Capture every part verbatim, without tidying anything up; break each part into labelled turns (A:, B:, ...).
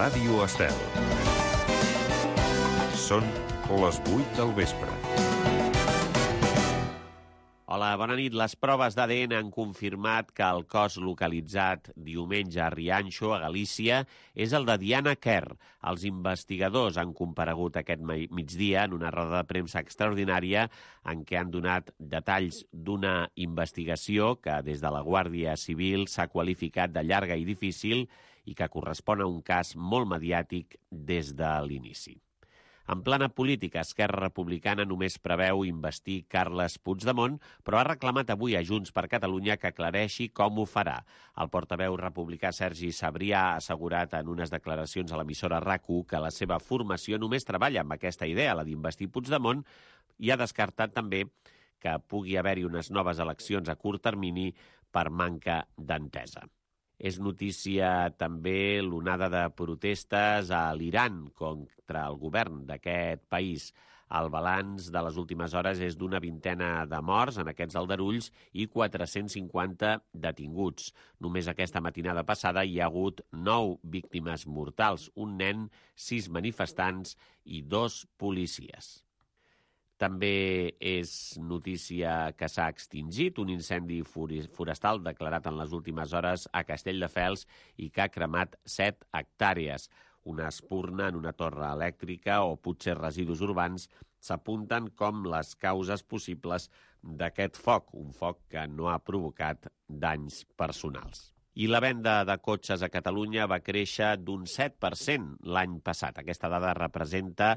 A: Ràdio Estel. Són les vuit del vespre.
B: Hola, bona nit. Les proves d'A D N han confirmat que el cos localitzat diumenge a Rianxo, a Galícia, és el de Diana Kerr. Els investigadors han comparegut aquest migdia en una roda de premsa extraordinària en què han donat detalls d'una investigació que des de la Guàrdia Civil s'ha qualificat de llarga i difícil i que correspon a un cas molt mediàtic des de l'inici. En plana política, Esquerra Republicana només preveu investir Carles Puigdemont, però ha reclamat avui a Junts per Catalunya que aclareixi com ho farà. El portaveu republicà Sergi Sabrià ha assegurat en unes declaracions a l'emissora RAC u que la seva formació només treballa amb aquesta idea, la d'investir Puigdemont, i ha descartat també que pugui haver-hi unes noves eleccions a curt termini per manca d'entesa. És notícia també l'onada de protestes a l'Iran contra el govern d'aquest país. El balanç de les últimes hores és d'una vintena de morts en aquests aldarulls i quatre-cents cinquanta detinguts. Només aquesta matinada passada hi ha hagut nou víctimes mortals, un nen, sis manifestants i dos policies. També és notícia que s'ha extingit un incendi forestal declarat en les últimes hores a Castelldefels i que ha cremat set hectàrees. Una espurna en una torre elèctrica o potser residus urbans s'apunten com les causes possibles d'aquest foc, un foc que no ha provocat danys personals. I la venda de cotxes a Catalunya va créixer d'un set per cent l'any passat. Aquesta dada representa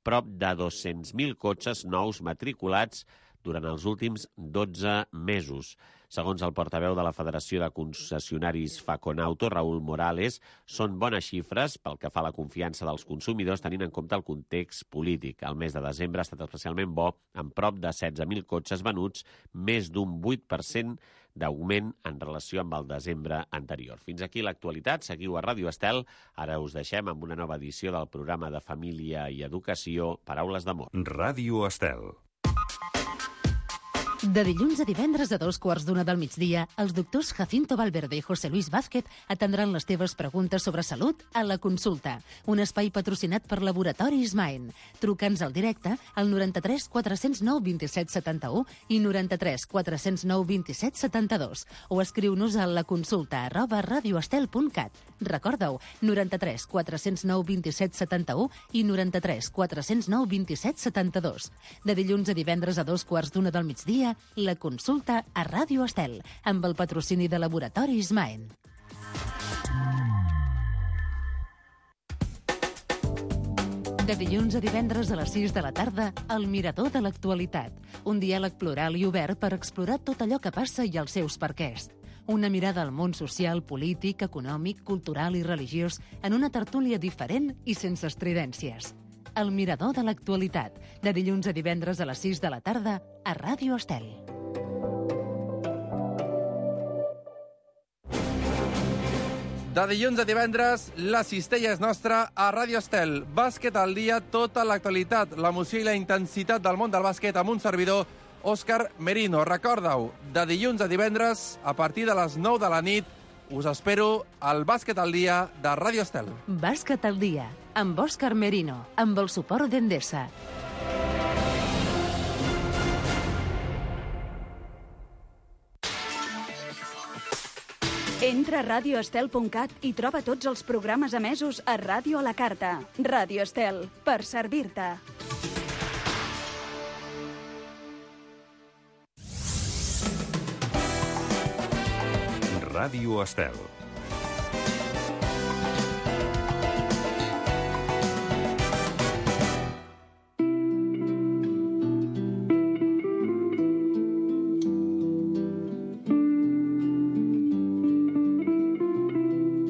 B: prop de dos-cents mil cotxes nous matriculats durant els últims dotze mesos. Segons el portaveu de la Federació de Concessionaris Faconauto, Raúl Morales, són bones xifres pel que fa a la confiança dels consumidors tenint en compte el context polític. El mes de desembre ha estat especialment bo, amb prop de setze mil cotxes venuts, més d'un vuit per cent d'augment en relació amb el desembre anterior. Fins aquí l'actualitat. Seguiu a Ràdio Estel. Ara us deixem amb una nova edició del programa de Família i Educació, Paraules d'Amor.
A: Ràdio Estel.
C: De dilluns a divendres a dos quarts d'una del migdia, els doctors Jacinto Valverde i José Luis Vázquez atendran les teves preguntes sobre salut a La Consulta, un espai patrocinat per Laboratoris Maen. Truca'ns al directe al noranta-tres quatre-cents nou vint-i-set setanta-u i noranta-tres quatre-cents nou vint-i-set setanta-dos o escriu-nos a laconsulta arroba radioestel punt cat. Recorda-ho, noranta-tres quatre-cents nou vint-i-set setanta-u i noranta-tres quatre-cents nou vint-i-set setanta-dos. De dilluns a divendres a dos quarts d'una del migdia, La Consulta a Ràdio Estel, amb el patrocini de Laboratoris Maen. De dilluns a divendres a les sis de la tarda, El Mirador de l'Actualitat. Un diàleg plural i obert per explorar tot allò que passa i els seus perquès. Una mirada al món social, polític, econòmic, cultural i religiós en una tertúlia diferent i sense estridències. El Mirador de l'Actualitat, de dilluns a divendres a les sis de la tarda a Ràdio Estel.
D: De dilluns a divendres, la cistella és nostra a Ràdio Estel. Bàsquet al dia, tota l'actualitat, l'emoció i la intensitat del món del bàsquet amb un servidor, Òscar Merino. Recorda-ho, de dilluns a divendres, a partir de les nou de la nit, us espero al Bàsquet al dia de Ràdio Estel.
C: Bàsquet al dia, amb Òscar Merino, amb el suport d'Endesa.
E: Entra a radioestel punt cat i troba tots els programes emesos a Ràdio a la Carta. Ràdio Estel, per servir-te.
A: Ràdio Estel.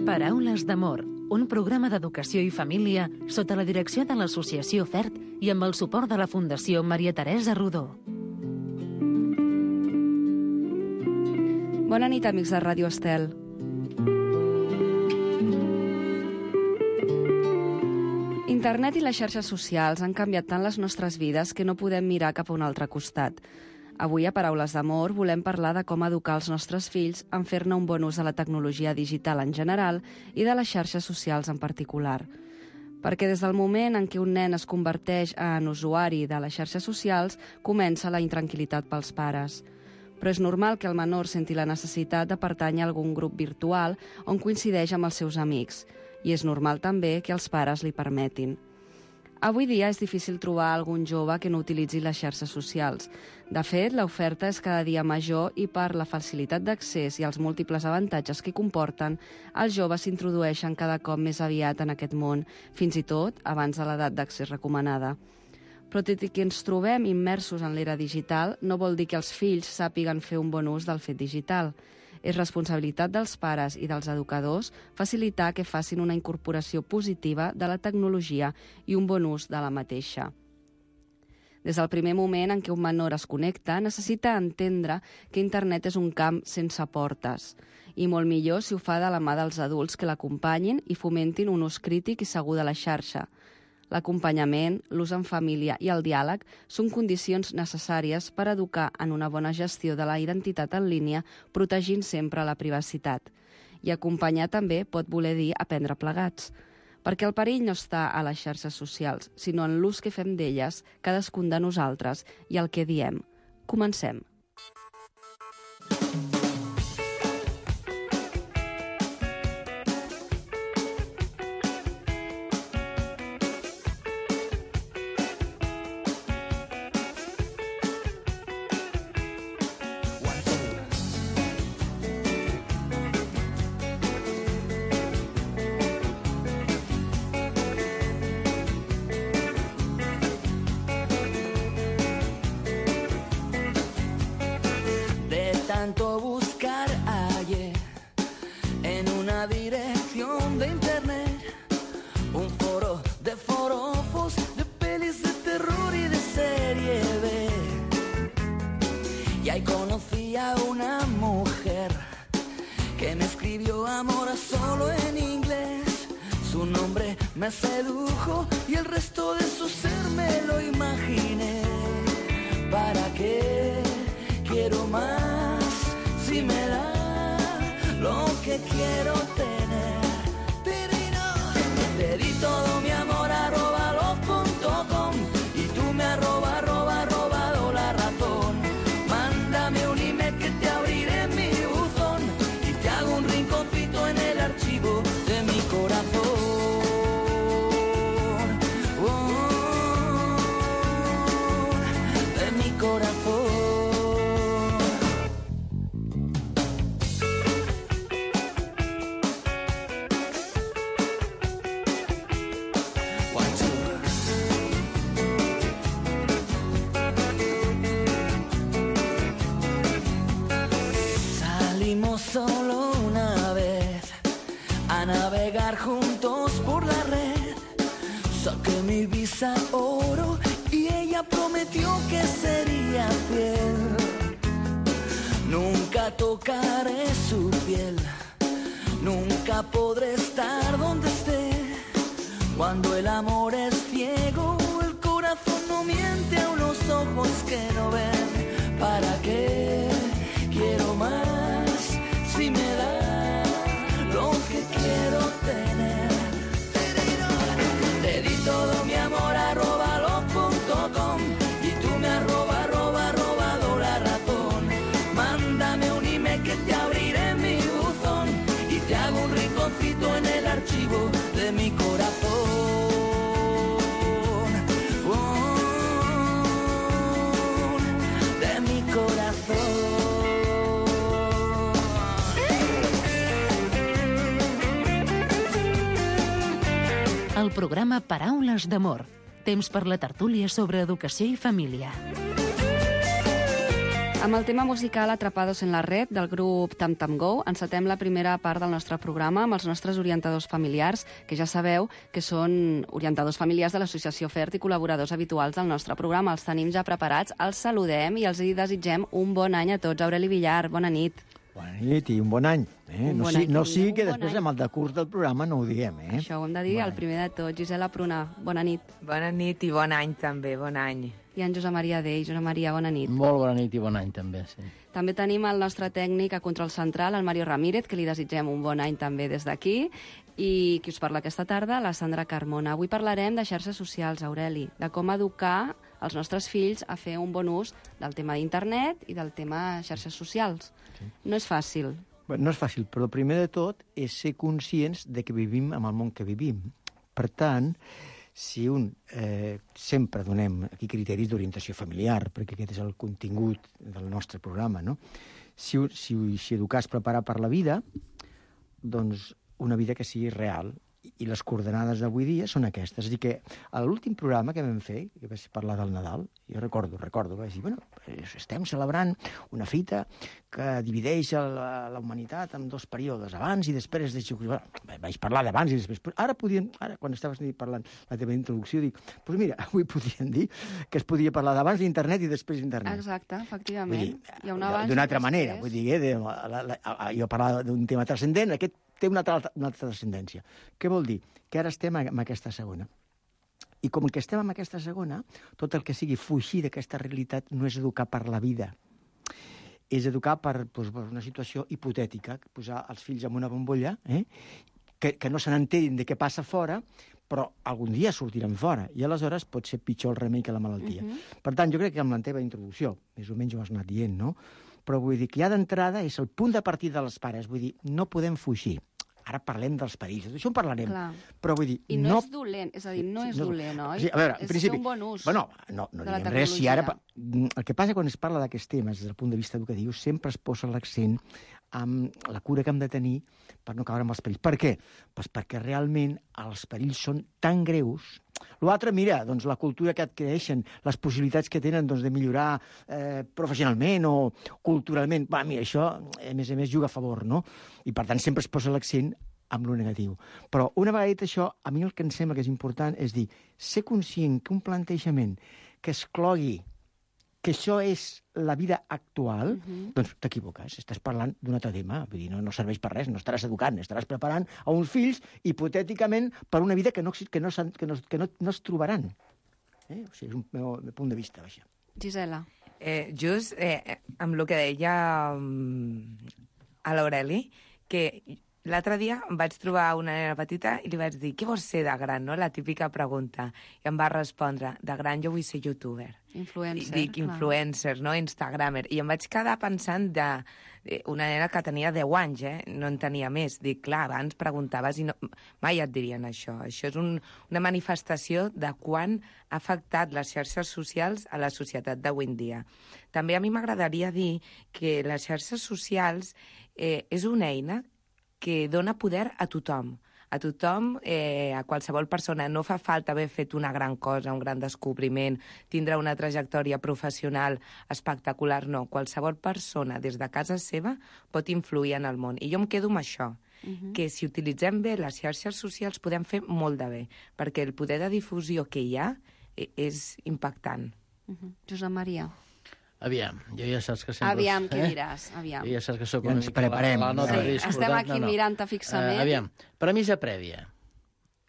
C: Paraules d'Amor, un programa d'educació i família sota la direcció de l'Associació FERT i amb el suport de la Fundació Maria Teresa Rodó.
F: Bona nit, amics de Ràdio Estel. Internet i les xarxes socials han canviat tant les nostres vides que no podem mirar cap a un altre costat. Avui, a Paraules d'Amor, volem parlar de com educar els nostres fills en fer-ne un bon ús de la tecnologia digital en general i de les xarxes socials en particular. Perquè des del moment en què un nen es converteix en usuari de les xarxes socials, comença la intranquil·litat pels pares. Però és normal que el menor senti la necessitat de pertànyer a algun grup virtual on coincideix amb els seus amics, i és normal també que els pares li permetin. Avui dia és difícil trobar algun jove que no utilitzi les xarxes socials. De fet, l'oferta és cada dia major i per la facilitat d'accés i els múltiples avantatges que comporten, els joves s'introdueixen cada cop més aviat en aquest món, fins i tot abans de l'edat d'accés recomanada. Però tot i que ens trobem immersos en l'era digital, no vol dir que els fills sàpiguen fer un bon ús del fet digital. És responsabilitat dels pares i dels educadors facilitar que facin una incorporació positiva de la tecnologia i un bon ús de la mateixa. Des del primer moment en què un menor es connecta, necessita entendre que internet és un camp sense portes, i molt millor si ho fa de la mà dels adults que l'acompanyin i fomentin un ús crític i segur de la xarxa. L'acompanyament, l'ús en família i el diàleg són condicions necessàries per educar en una bona gestió de la identitat en línia, protegint sempre la privacitat. I acompanyar també pot voler dir aprendre plegats, perquè el perill no està a les xarxes socials, sinó en l'ús que fem d'elles, cadascun de nosaltres, i el que diem. Comencem.
G: Tanto buscar hallé en una dirección de internet un foro de forofos, de pelis de terror y de serie B. Y ahí conocí a una mujer que me escribió amor solo en inglés. Su nombre me sedujo y el resto de su ser me lo imaginé. ¿Para qué quiero más? Si me da lo que quiero tener. Te di todo mi amor arroba lo punto com y tú me arroba arroba robado la razón. Mándame un email que te abriré mi buzón y te hago un rinconcito en el archivo de mi corazón. Oh, de mi corazón. Solo una vez a navegar juntos por la red. Saqué mi visa oro y ella prometió que sería fiel. Nunca tocaré su piel, nunca podré estar donde esté. Cuando el amor es ciego, el corazón no miente a unos ojos que no ven. ¿Para qué quiero más? Si me da lo que quiero tener. Te di todo mi amor arroba lo punto com y tú me arroba arroba robado la razón. Mándame un email que te abriré mi buzón y te hago un rinconcito en el archivo de mi corazón. Oh, de mi corazón.
C: El programa Paraules d'Amor. Temps per la tertúlia sobre educació i família.
F: Amb el tema musical Atrapados en la red del grup Tam Tam Go, encetem la primera part del nostre programa amb els nostres orientadors familiars, que ja sabeu que són orientadors familiars de l'Associació FERT i col·laboradors habituals del nostre programa. Els tenim ja preparats, els saludem i els hi desitgem un bon any a tots. Aureli Villar, bona nit.
H: Bona nit i un bon any. Eh?
F: Un
H: no
F: bon
H: sí,
F: any,
H: no
F: que
H: sí
F: digueu,
H: que
F: un bon
H: després
F: any.
H: amb el decurs del programa no ho diguem, eh?
F: Això ho hem de dir
H: Bon
F: el
H: any.
F: primer de tot. Gisela Pruna, bona nit.
I: Bona nit i bon any també, bon any.
F: I en Josep Maria Dei. Josep Maria, bona nit.
J: Molt bona nit i bon any també, sí.
F: També tenim el nostre tècnic a control central, el Mario Ramírez, que li desitgem un bon any també des d'aquí, i qui us parla aquesta tarda, la Sandra Carmona. Avui parlarem de xarxes socials, Aureli, de com educar els nostres fills a fer un bon ús del tema d'internet i del tema xarxes socials. Sí. No és fàcil.
H: Bé, no és fàcil, però el primer de tot és ser conscients de que vivim en el món que vivim. Per tant, si un eh, sempre donem aquí criteris d'orientació familiar, perquè aquest és el contingut del nostre programa, no? Si, si, si educar és preparar per la vida, doncs una vida que sigui real. I les coordenades d'avui dia són aquestes. És a dir, que a l'últim programa que vam fer, que va parlar del Nadal, jo recordo, recordo, vaig dir, bueno, estem celebrant una fita que divideix la, la humanitat en dos períodes, abans i després. De... Bueno, vaig parlar d'abans i després. Ara podien, ara, quan estaves parlant la teva introducció, dic, doncs pues mira, avui podien dir que es podia parlar d'abans d'internet i després d'internet.
F: Exacte, efectivament.
H: Dir,
F: hi ha un abans
H: d'una altra
F: després.
H: manera, vull dir, eh, de, la, la, la, jo parlava d'un tema transcendent, aquest té una altra, una altra transcendència. Què vol dir? Que ara estem en aquesta segona. I com que estem en aquesta segona, tot el que sigui fugir d'aquesta realitat no és educar per la vida. És educar per, doncs, per una situació hipotètica, posar els fills en una bombolla, eh? que, que no se n'enterin de què passa fora, però algun dia sortiran fora, i aleshores pot ser pitjor el remei que la malaltia. Uh-huh. Per tant, jo crec que amb la teva introducció, més o menys ho has anat dient, no? Però vull dir que ja d'entrada és el punt de partida dels pares. Vull dir, no podem fugir. Ara parlem dels perills, d'això en parlarem.
F: Clar.
H: Però vull dir...
F: I no, no és dolent, és a dir, no és
H: no,
F: dolent, oi?
H: Sí, a veure, en
F: és
H: principi,
F: fer un bon ús
H: bueno, no, no
F: de la
H: diguem res si
F: tecnologia.
H: ara... El que passa quan es parla d'aquests temes des del punt de vista educatiu sempre es posa l'accent amb la cura que hem de tenir per no caure amb els perills. Per què? Pues perquè realment els perills són tan greus. L'altre, mira, doncs la cultura que adquireixen, les possibilitats que tenen doncs, de millorar eh, professionalment o culturalment, va, mira, això, a més a més, juga a favor, no? I per tant sempre es posa l'accent amb lo negatiu. Però una vegada dit això, a mi el que em sembla que és important és dir, ser conscient que un plantejament que exclogui que això és la vida actual, uh-huh. doncs t'equivoques, estàs parlant d'un altre tema, vull dir, no, no serveix per res, no estaràs educant, estaràs preparant a uns fills hipotèticament per una vida que no, que no, que no, que no, no es trobaran. Eh? O sigui, és un meu, meu punt de vista, vaja.
F: Gisela.
I: Eh, just eh, amb el que deia um, a l'Aureli, que l'altre dia em vaig trobar una nena petita i li vaig dir, què vols ser de gran, no? La típica pregunta. I em va respondre, de gran jo vull ser youtuber.
F: Influencer.
I: I dic, influencer, no? Instagramer. I em vaig quedar pensant de, de una nena que tenia deu anys, eh? No en tenia més. Dic, clar, abans preguntaves i no, mai et dirien això. Això és un, una manifestació de quan ha afectat les xarxes socials a la societat d'avui en dia. També a mi m'agradaria dir que les xarxes socials eh, és una eina que dona poder a tothom. A tothom, eh, a qualsevol persona. No fa falta haver fet una gran cosa, un gran descobriment, tindre una trajectòria professional espectacular, no. Qualsevol persona, des de casa seva, pot influir en el món. I jo em quedo amb això, uh-huh. que si utilitzem bé les xarxes socials podem fer molt de bé, perquè el poder de difusió que hi ha eh, és impactant.
F: Uh-huh. Josep Maria.
J: Aviam, jo ja saps que sempre...
F: Aviam, què
J: eh?
F: diràs? Aviam.
J: Jo ja saps que sóc
H: Ja
J: una
H: ens
J: mica
H: preparem.
J: la, la nota
F: Sí,
J: discordant.
F: estem aquí
J: no, no.
F: mirant-te fixament.
J: Uh, aviam, premissa prèvia.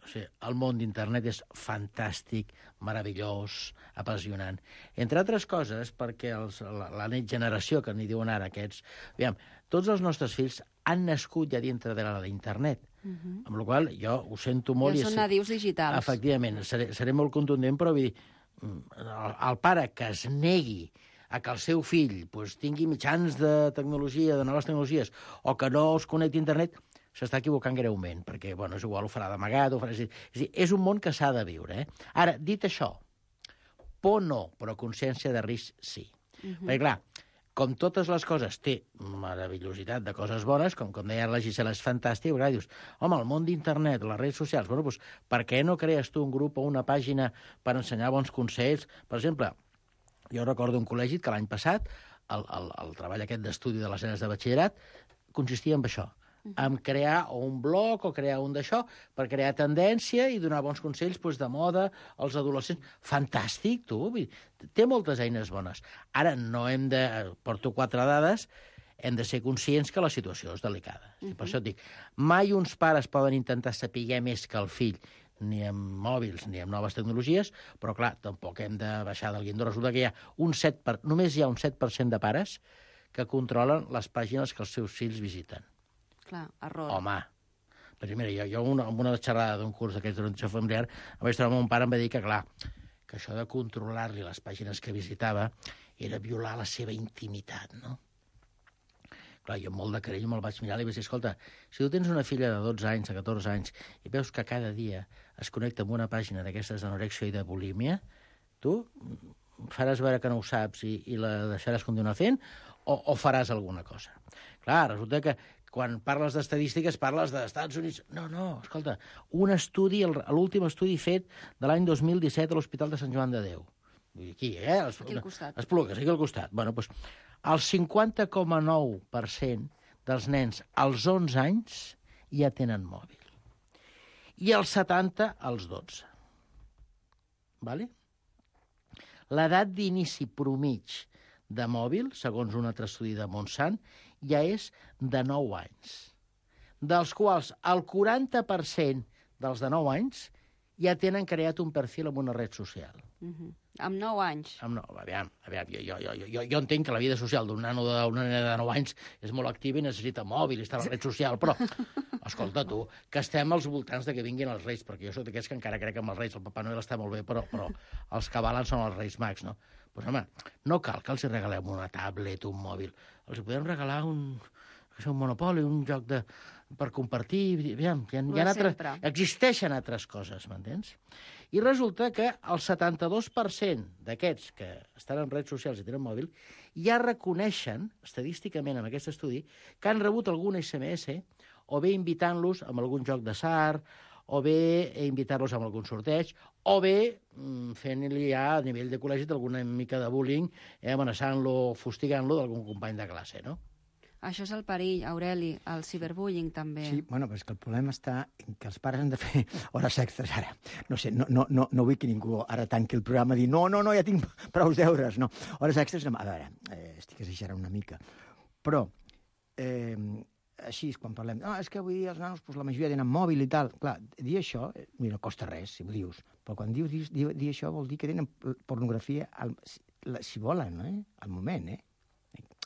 J: O sigui, el món d'internet és fantàstic, meravellós, apassionant. Entre altres coses, perquè els, la, la net generació, que n'hi diuen ara aquests... Aviam, tots els nostres fills han nascut ja dintre de l'internet. Uh-huh. Amb la qual jo ho sento molt...
F: Ja són nadius digitals.
J: Efectivament, seré, seré molt contundent, però vull dir, el, el pare que es negui a que el seu fill pues, tingui mitjans de tecnologia, de noves tecnologies, o que no es connecti a internet, s'està equivocant greument, perquè, bueno, és igual, ho farà d'amagat, ho farà... És a dir, és un món que s'ha de viure, eh? Ara, dit això, por no, però consciència de risc sí. Uh-huh. Perquè, clar, com totes les coses té meravellositat de coses bones, com, com deia la Gisela, és fantàstic, perquè dius, home, el món d'internet, les redes socials, bueno, doncs, per què no crees tu un grup o una pàgina per ensenyar bons consells? Per exemple, jo recordo un col·legi que l'any passat, el, el, el treball aquest d'estudi de les nenes de batxillerat, consistia en això, en crear o un blog o crear un d'això per crear tendència i donar bons consells doncs, de moda als adolescents. Fantàstic, tu! Té moltes eines bones. Ara no hem de... Porto quatre dades. hem de ser conscients que la situació és delicada. Uh -huh. Per això et dic, mai uns pares poden intentar saber més que el fill, ni amb mòbils ni amb noves tecnologies, però, clar, tampoc hem de baixar del guindo. Resulta que hi ha un set per... només hi ha un set per cent de pares que controlen les pàgines que els seus fills visiten.
F: Clar, error.
J: Home, perquè mira, jo, jo una, amb una xerrada d'un curs d'aquests d'orientació familiar em vaig trobar amb un pare, em va dir que, clar, que això de controlar-li les pàgines que visitava era violar la seva intimitat, no? Clar, jo amb molt de carinyo me'l vaig mirar i vaig dir, escolta, si tu tens una filla de dotze anys, de catorze anys, i veus que cada dia es connecta amb una pàgina d'aquestes d'anorèxia i de bulímia, tu faràs veure que no ho saps i, i la deixaràs continuar fent o, o faràs alguna cosa? Clar, resulta que quan parles d'estadístiques parles dels Estats Units. No, no, escolta, un estudi, l'últim estudi fet de l'any dos mil disset a l'Hospital de Sant Joan de Déu. Aquí, eh?
F: Aquí al costat.
J: Esplugues, aquí al costat. Bueno, doncs, el cinquanta coma nou per cent dels nens als onze anys ja tenen mòbil. I el setanta als dotze. Vale? L'edat d'inici promig de mòbil, segons un altre estudi de Montsant, ja és de nou anys, dels quals el quaranta per cent dels de nou anys ja tenen creat un perfil en una red social.
F: Uh-huh. Amb nou anys.
J: Amb no, aviam, aviam jo, jo, jo, jo, jo entenc que la vida social d'un nano d'una nena de nou anys és molt activa i necessita mòbil i està a la red social, però, escolta tu, que estem als voltants de que vinguin els Reis, perquè jo soc d'aquests que encara crec que amb els Reis el Papà Noel està molt bé, però, però els que valen són els Reis Mags, no? Doncs, home, no cal que els regalem una tablet, un mòbil. Els podem regalar un, un monopoli, un joc de, per compartir. Aviam, hi ha, hi ha altres, existeixen altres coses, m'entens? I resulta que el setanta-dos per cent d'aquests que estan en redes socials i tenen mòbil ja reconeixen, estadísticament amb aquest estudi, que han rebut algun esse eme esse o bé invitant-los amb algun joc d'atzar, o bé invitar-los amb algun sorteig, o bé fent-li ja a nivell de col·legi alguna mica de bullying, eh, amenaçant-lo, fustigant-lo d'algun company de classe, no?
F: Això és el perill, Aureli, el ciberbullying també.
H: Sí, bueno, però és que el problema està en que els pares han de fer hores extres ara. No sé, no, no, no, no vull que ningú ara tanqui el programa i dir no, no, no, ja tinc prou deures, no. Hores extres, a veure, eh, estic exagerant una mica, però eh, així és quan parlem, no, és que avui dia els nanos, doncs, la majoria tenen mòbil i tal. Clar, dir això, mira, no costa res, si ho dius, però quan dius dir, dir això vol dir que tenen pornografia, al, si volen, eh? Al moment, eh?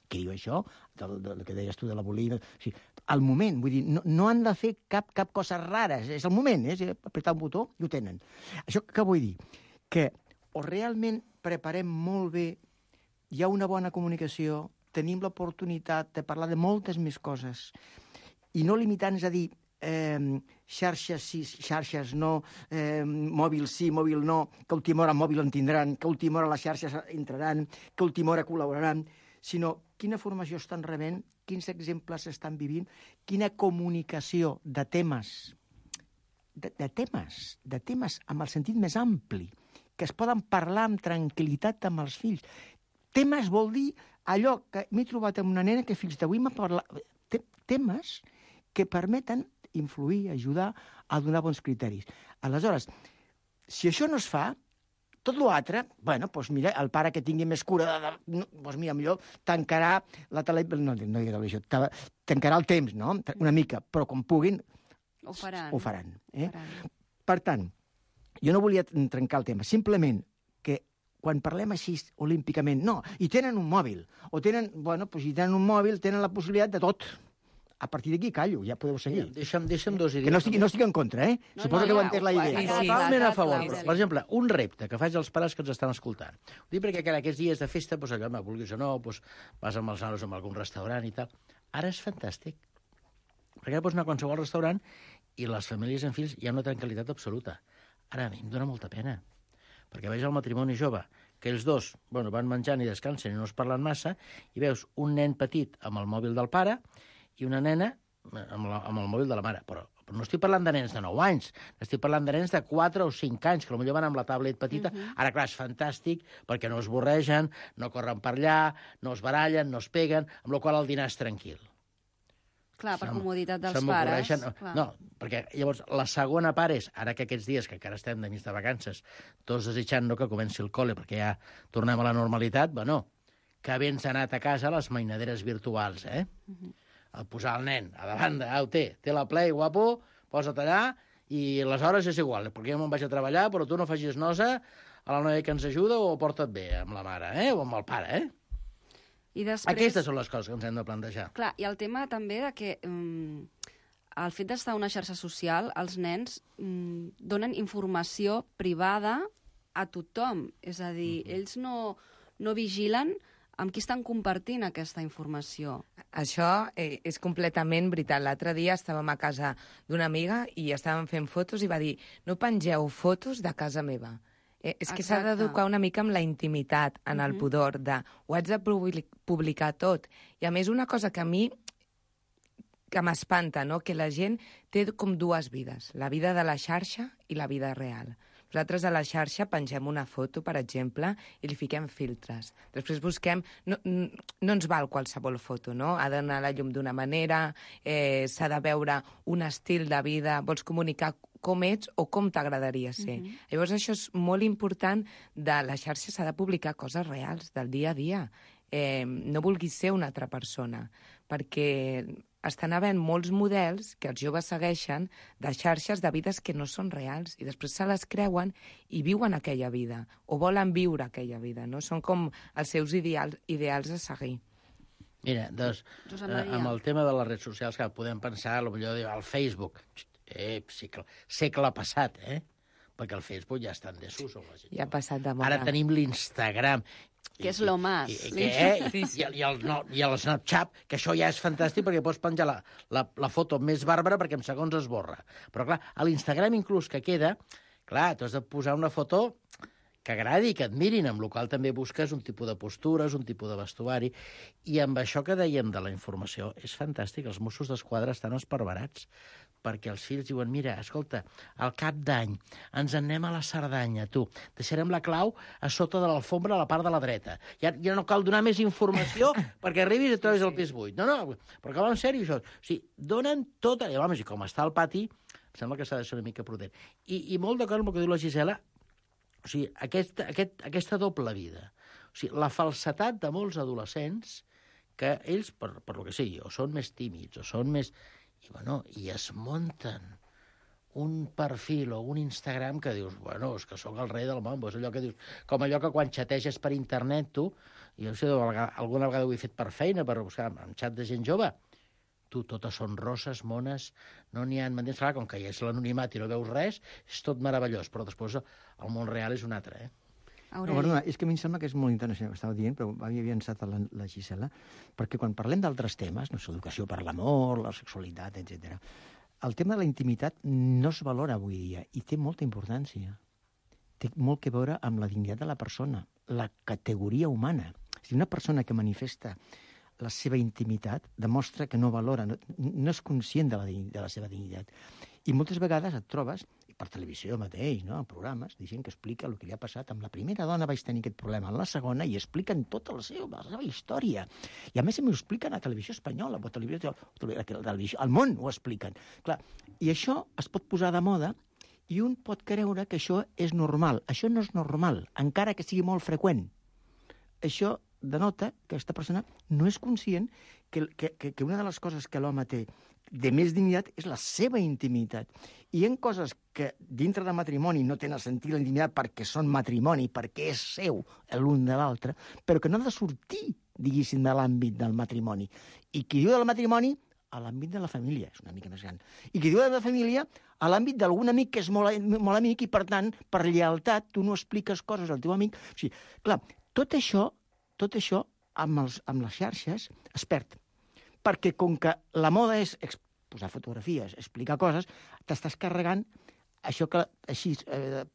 H: Què diu això? Del, del que deies tu de la bulímia. O sigui, al moment, vull dir, no, no han de fer cap, cap cosa rara, és el moment, és apretar un botó i ho tenen. Això què vull dir? Que o realment preparem molt bé, hi ha una bona comunicació, tenim l'oportunitat de parlar de moltes més coses i no limitar-nos a dir eh, xarxes sí, xarxes no, eh, mòbil sí, mòbil no, que a última hora mòbil en tindran, que a última hora les xarxes entraran, que a última hora col·laboraran, sinó quina formació estan rebent, quins exemples estan vivint, quina comunicació de temes, de, de temes, de temes amb el sentit més ampli, que es poden parlar amb tranquil·litat amb els fills. Temes vol dir allò que m'he trobat amb una nena que fins d'avui m'ha parlat... Temes que permeten influir, ajudar a donar bons criteris. Aleshores, si això no es fa, tot l'altre, bueno, doncs mira, el pare que tingui més cura, de, de, doncs mira, millor tancarà la televisió, no, no dic televisió, tancarà el temps, no?, una mica, però quan puguin,
F: ho faran.
H: Ho faran, eh?
F: Ho faran.
H: Per tant, jo no volia trencar el tema, simplement que quan parlem així olímpicament, no, i tenen un mòbil, o tenen, bueno, doncs si tenen un mòbil, tenen la possibilitat de tot. A partir d'aquí callo, ja podeu seguir.
J: Deixa'm, deixa'm dos idees.
H: Que no estic, no estic en contra, eh?
F: No,
H: Suposo
F: no,
H: que heu
F: ja,
H: entès la
F: ho-
H: idea.
F: sí,
J: Totalment a favor.
F: clar,
J: Per exemple, un repte que faig als pares que ens estan escoltant. Ho dic perquè en aquests dies de festa, doncs, allò, vulguis o no, doncs, vas amb els nanos a algun restaurant i tal. Ara és fantàstic. Perquè ara pots anar a qualsevol restaurant i les famílies amb fills hi ha una tranquil·litat absoluta. Ara a mi em dóna molta pena. Perquè veig el matrimoni jove, que ells dos bueno, van menjant i descansen i no es parlen massa, i veus un nen petit amb el mòbil del pare i una nena amb, la, amb el mòbil de la mare. Però, però no estic parlant de nens de nou anys, estic parlant de nens de quatre o cinc anys, que potser van amb la tablet petita. Uh-huh. Ara, clar, és fantàstic, perquè no es borregen, no corren per allà, no es barallen, no es peguen, amb la qual cosa el dinar és tranquil.
F: Clar, per
J: Se m-
F: comoditat dels
J: se
F: pares.
J: m'ocorreixen-
F: Clar.
J: No, perquè llavors la segona part és, ara que aquests dies que encara estem de mig de vacances, tots desitjant no, que comenci el col·le, perquè ja tornem a la normalitat, bueno, que ben s'ha anat a casa les mainaderes virtuals, eh? Uh-huh. El posar el nen a davant de, au, té, té la Play, guapo, posa't allà, i les hores és igual, perquè jo me'n vaig a treballar, però tu no facis nosa a la noia que ens ajuda o porta't bé amb la mare, eh? O amb el pare, eh?
F: I després...
J: Aquestes són les coses que ens hem de plantejar.
F: Clar, i el tema també de que um, el fet d'estar a una xarxa social, els nens um, donen informació privada a tothom. És a dir, mm-hmm. ells no, no vigilen amb qui estan compartint aquesta informació.
I: Això eh, és completament veritat. L'altre dia estàvem a casa d'una amiga i estàvem fent fotos i va dir no pengeu fotos de casa meva. Eh, és que s'ha d'educar una mica amb la intimitat, en el pudor, de ho haig de publicar tot. I a més, una cosa que a mi que m'espanta, no? Que la gent té com dues vides, la vida de la xarxa i la vida real. Nosaltres a la xarxa pengem una foto, per exemple, i li fiquem filtres. Després busquem... No, no ens val qualsevol foto, no? Ha d'anar a la llum d'una manera, eh, s'ha de veure un estil de vida, vols comunicar com ets o com t'agradaria ser. Uh-huh. Llavors això és molt important, de la xarxa s'ha de publicar coses reals, del dia a dia. Eh, no vulguis ser una altra persona, perquè estan havent molts models que els joves segueixen de xarxes de vides que no són reals i després se les creuen i viuen aquella vida o volen viure aquella vida, no? Són com els seus ideals, ideals a seguir.
J: Mira, doncs, eh, amb el tema de les redes socials, que podem pensar, potser al Facebook, eh, segle, segle passat, eh? Perquè el Facebook ja està en desús.
I: Ja ha passat de moda.
J: Ara tenim l'Instagram.
F: Que és lo más.
J: I, i, eh? I, i, el, no, I el Snapchat, que això ja és fantàstic perquè pots penjar la, la, la foto més bàrbara perquè en segons es borra. Però, clar, a l'Instagram inclús que queda, clar, tu has de posar una foto que agradi, que admirin, amb la qual també busques un tipus de postures, un tipus de vestuari. I amb això que dèiem de la informació, és fantàstic. Els Mossos d'Esquadra estan esparverats perquè els fills diuen, mira, escolta, al cap d'any ens en anem a la Cerdanya, tu, deixarem la clau a sota de l'alfombra a la part de la dreta. Ja, ja no cal donar més informació perquè arribis i trobis el pis buit. No, no, però que va en sèrio, això. O sigui, donen tota... I, homes, i com està al pati, em sembla que s'ha de ser una mica prudent. I, i molt d'acord amb el que diu la Gisela, o sigui, aquesta, aquest, aquesta doble vida. O sigui, la falsetat de molts adolescents que ells, per, per lo que sigui, o són més tímids, o són més... I, bueno, i es munten un perfil o un Instagram que dius, bueno, és que sóc el rei del món, és allò que dius, com allò que quan xateges per internet, tu, i jo no sé, alguna vegada ho he fet per feina, per buscar en xat de gent jove, tu, totes són roses, mones, no n'hi ha... M'entens? Clar, com que hi és l'anonimat i no veus res, és tot meravellós, però després el món real és un altre, eh?
H: No, perdona, és que a mi em sembla que és molt interessant el que estava dient, però havia avançat la, la Gisela, perquè quan parlem d'altres temes, no sé, educació per l'amor, la sexualitat, etcètera, el tema de la intimitat no es valora avui dia i té molta importància. Té molt que veure amb la dignitat de la persona, la categoria humana. Si una persona que manifesta la seva intimitat demostra que no valora, no, no és conscient de la, de la seva dignitat. I moltes vegades et trobes, per televisió mateix, no? En programes, gent que explica el que li ha passat. Amb la primera dona vaig tenir aquest problema, amb la segona, i expliquen tota la seva, la seva història. I a més m'ho expliquen a televisió espanyola, o a televisió, televisió, al món ho expliquen. Clar, i això es pot posar de moda i un pot creure que això és normal. Això no és normal, encara que sigui molt freqüent. Això denota que aquesta persona no és conscient que, que, que una de les coses que l'home té de més dignitat és la seva intimitat. I hi ha coses que dintre del matrimoni no tenen sentit la intimitat perquè són matrimoni, perquè és seu l'un de l'altre, però que no ha de sortir, diguéssim, de l'àmbit del matrimoni. I qui diu del matrimoni, a l'àmbit de la família, és una mica més gran. I qui diu de la família, a l'àmbit d'algun amic que és molt, molt amic i, per tant, per lleialtat, tu no expliques coses al teu amic. O sigui, clar, tot això, tot això amb, els, amb les xarxes es perd. Perquè com que la moda és posar fotografies, explicar coses, t'estàs carregant això que així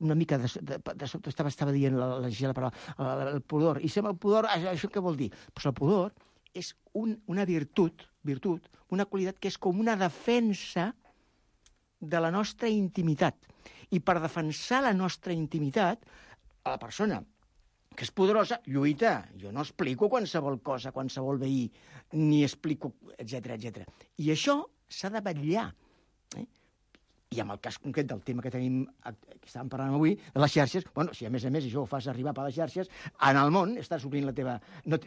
H: una mica de, de, de sobte estava, estava dient la, la Gisela, però el, el pudor. I sembla el pudor, això què vol dir? Pues el pudor és un, una virtut, virtut, una qualitat que és com una defensa de la nostra intimitat. I per defensar la nostra intimitat, a la persona que és poderosa, lluita. Jo no explico qualsevol cosa, qualsevol veí, ni explico, etcètera, etcètera. I això s'ha de vetllar. Eh? I amb el cas concret del tema que tenim, que estàvem parlant avui, de les xarxes, bueno, si a més a més això ho fas arribar per les xarxes, en el món estàs obrint la teva... No,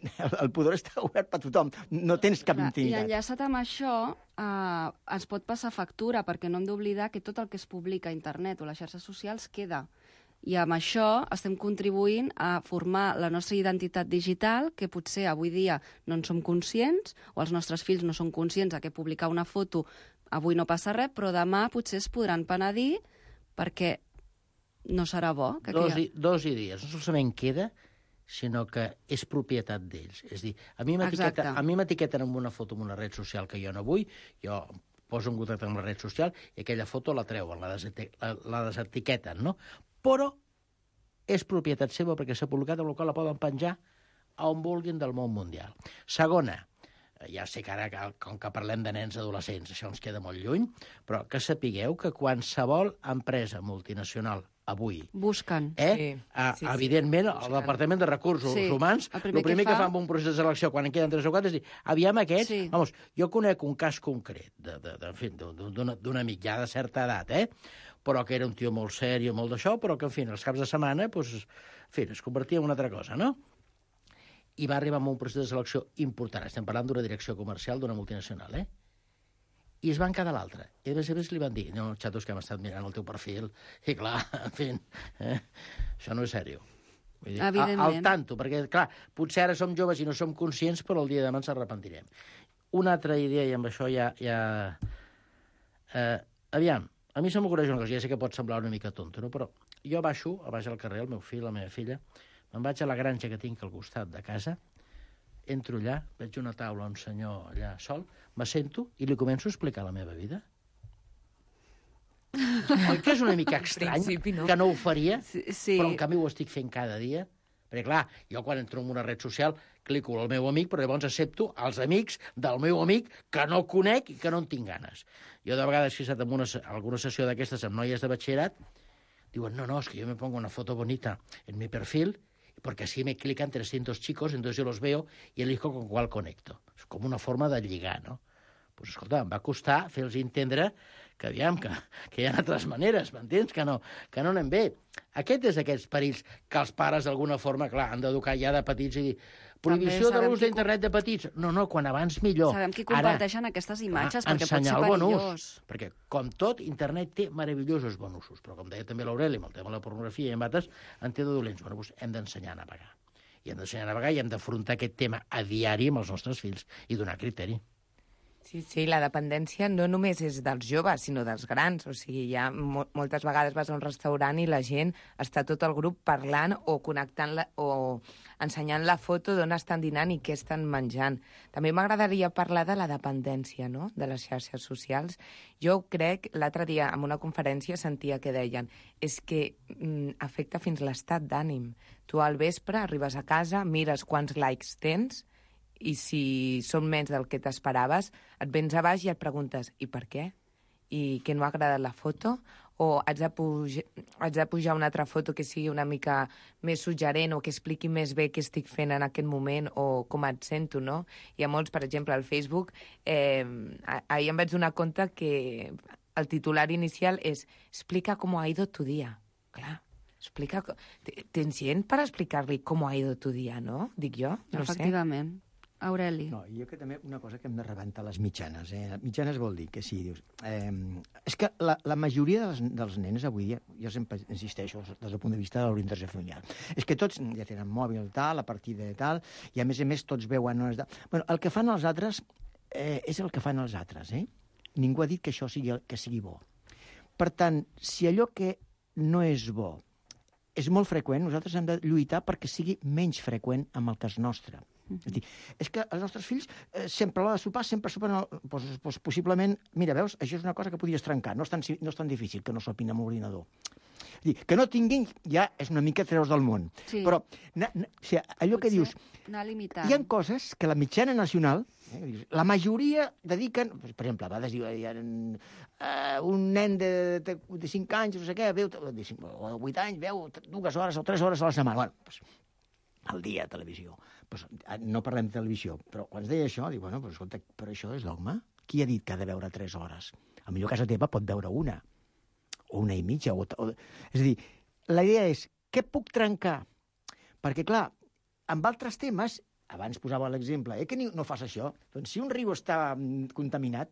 H: el pudor està obert per tothom, no tens cap
F: Clar,
H: intimitat.
F: I enllaçat amb això, eh, ens pot passar factura, perquè no hem d'oblidar que tot el que es publica a internet o a les xarxes socials queda. I amb això estem contribuint a formar la nostra identitat digital, que potser avui dia no en som conscients, o els nostres fills no són conscients de que publicar una foto avui no passa res, però demà potser es podran penedir perquè no serà bo. Que
J: dos,
F: aquí...
J: i, dos idees. No solament queda, sinó que és propietat d'ells. És a dir, a mi m'etiqueta- a mi m'etiqueten amb una foto en una red social que jo no vull, jo poso en contacte amb la red social i aquella foto la treuen, la, deseti la, la desetiqueten, no? Però és propietat seva perquè s'ha publicat, amb la qual la poden penjar a on vulguin del món mundial. Segona, ja sé que ara, com que parlem de nens adolescents, això ens queda molt lluny, però que sapigueu que qualsevol empresa multinacional avui...
F: Busquen.
J: Eh?
F: Sí,
J: Ah,
F: sí, sí.
J: evidentment,
F: Busquen.
J: el Departament de Recursos
F: Sí,
J: Humans,
F: el
J: el
F: primer
J: primer,
F: que
J: que,
F: fa-
J: fa amb un procés de selecció, quan en queden tres o quatre, és dir, aviam aquests...
F: Sí.
J: Vamos, jo conec un cas concret de, de, de, en fi, d'un d'un amic ja de certa edat, eh? però que era un tio molt sèrio, molt d'això, però que, en fi, els caps de setmana, pues, en fi, es convertia en una altra cosa, no? I va arribar amb un procés de selecció important. Estem parlant d'una direcció comercial d'una multinacional, eh? I es van quedar a l'altre. I a més a més li van dir, no, xatos, que hem estat mirant el teu perfil, i clar, en fi, eh? això no és sèrio. Vull dir,
F: Evidentment.
J: al tanto, perquè, clar, potser ara som joves i no som conscients, però el dia de demà ens arrepentirem. Una altra idea, i amb això ja... ja... Eh, aviam, a mi se m'ocorreix una cosa, ja sé que pot semblar una mica tonto, no? Però jo baixo, a baix al carrer, el meu fill, la meva filla, me'n vaig a la granja que tinc al costat de casa, entro allà, veig una taula, un senyor allà sol, m'assento i li començo a explicar la meva vida. Oi que és una mica estrany
I: principi, no.
J: que no ho faria,
F: Sí, sí.
J: però en canvi ho estic fent cada dia? Perquè, clar, jo quan entro en una red social clico al meu amic, però llavors accepto els amics del meu amic que no conec i que no en tinc ganes. Jo de vegades he estat en una, alguna sessió d'aquestes amb noies de batxillerat, diuen, no, no, es que yo me pongo una foto bonita en mi perfil porque así me clican trescientos chicos, entonces yo los veo y elijo con cuál conecto. És com una forma de lligar, no? Pues, escolta, em va costar fer-los entendre que, aviam, que, que hi ha altres maneres, m'entens? Que no, que no anem bé. Aquest és aquests perills que els pares, d'alguna forma, clar, han d'educar ja de petits i dir prohibició de
F: sabem
J: l'ús
F: qui
J: d'internet de petits. No, no, quan abans millor.
F: Sabem qui
J: Ara,
F: comparteixen aquestes imatges, perquè pot ser
J: ensenyar el bon ús,
F: perillós.
J: perquè, com tot, internet té meravellosos bons usos, però, com deia també l'Aureli, amb el tema de la pornografia i en altres, en té de dolents. Bueno, doncs hem d'ensenyar a navegar. I hem d'ensenyar a navegar i hem d'afrontar aquest tema a diari amb els nostres fills i donar criteri.
I: Sí, sí, la dependència no només és dels joves, sinó dels grans. O sigui, ja mo moltes vegades vas a un restaurant i la gent està tot el grup parlant o connectant la, o ensenyant la foto d'on estan dinant i què estan menjant. També m'agradaria parlar de la dependència, no?, de les xarxes socials. Jo crec, l'altre dia en una conferència sentia que deien és que mm, afecta fins l'estat d'ànim. Tu al vespre arribes a casa, mires quants likes tens, i si són menys del que t'esperaves, et vens a baix i et preguntes i per què? I que no ha agradat la foto? O haig de, pujar, haig de pujar una altra foto que sigui una mica més suggerent o que expliqui més bé què estic fent en aquest moment o com et sento, no? Hi ha molts, per exemple, al Facebook, eh, ahir em vaig donar compte que el titular inicial és explica com ha ido tu dia. Clar, explica... Tens gent per explicar-li com ha ido tu dia, no? Dic jo, no sé.
F: Efectivament. Aureli.
H: No, jo que també una cosa que hem de rebentar les mitjanes. Eh? Mitjanes vol dir que sí, dius... Eh, és que la, la majoria dels, dels nens avui dia, jo sempre insisteixo des del punt de vista de l'orientació familiar, és que tots ja tenen mòbil tal, a partir de tal, i a més a més tots veuen... De... Bueno, el que fan els altres eh, és el que fan els altres, eh? Ningú ha dit que això sigui, que sigui bo. Per tant, si allò que no és bo és molt freqüent, nosaltres hem de lluitar perquè sigui menys freqüent amb el cas nostre. Mm-hmm. És dir, és que els nostres fills eh, sempre a l'hora de sopar, sempre sopen... El, doncs, doncs, possiblement, mira, veus, això és una cosa que podies trencar, no és tan, no és tan difícil que no sopin amb l'ordinador. És dir, que no tinguin ja és una mica treure's del món.
F: Sí.
H: Però na, na, o sigui, allò que dius...
F: Anar limitant.
H: Hi ha coses que la mitjana nacional, eh, la majoria dediquen... Per exemple, a vegades diu, hi ha uh, un nen de, de, de cinc anys, no sé què, veu, de cinc, o de vuit anys, veu dues hores o tres hores a la setmana. Bueno, doncs, al dia a televisió. Pues, no parlem de televisió, però quan es deia això, dic, bueno, pues, escolta, però això és dogma? Qui ha dit que ha de veure tres hores? A millor casa teva pot veure una. o una i mitja. O, o... És a dir, la idea és, què puc trencar? Perquè, clar, amb altres temes, abans posava l'exemple, eh, que no fas això. Doncs si un riu està contaminat,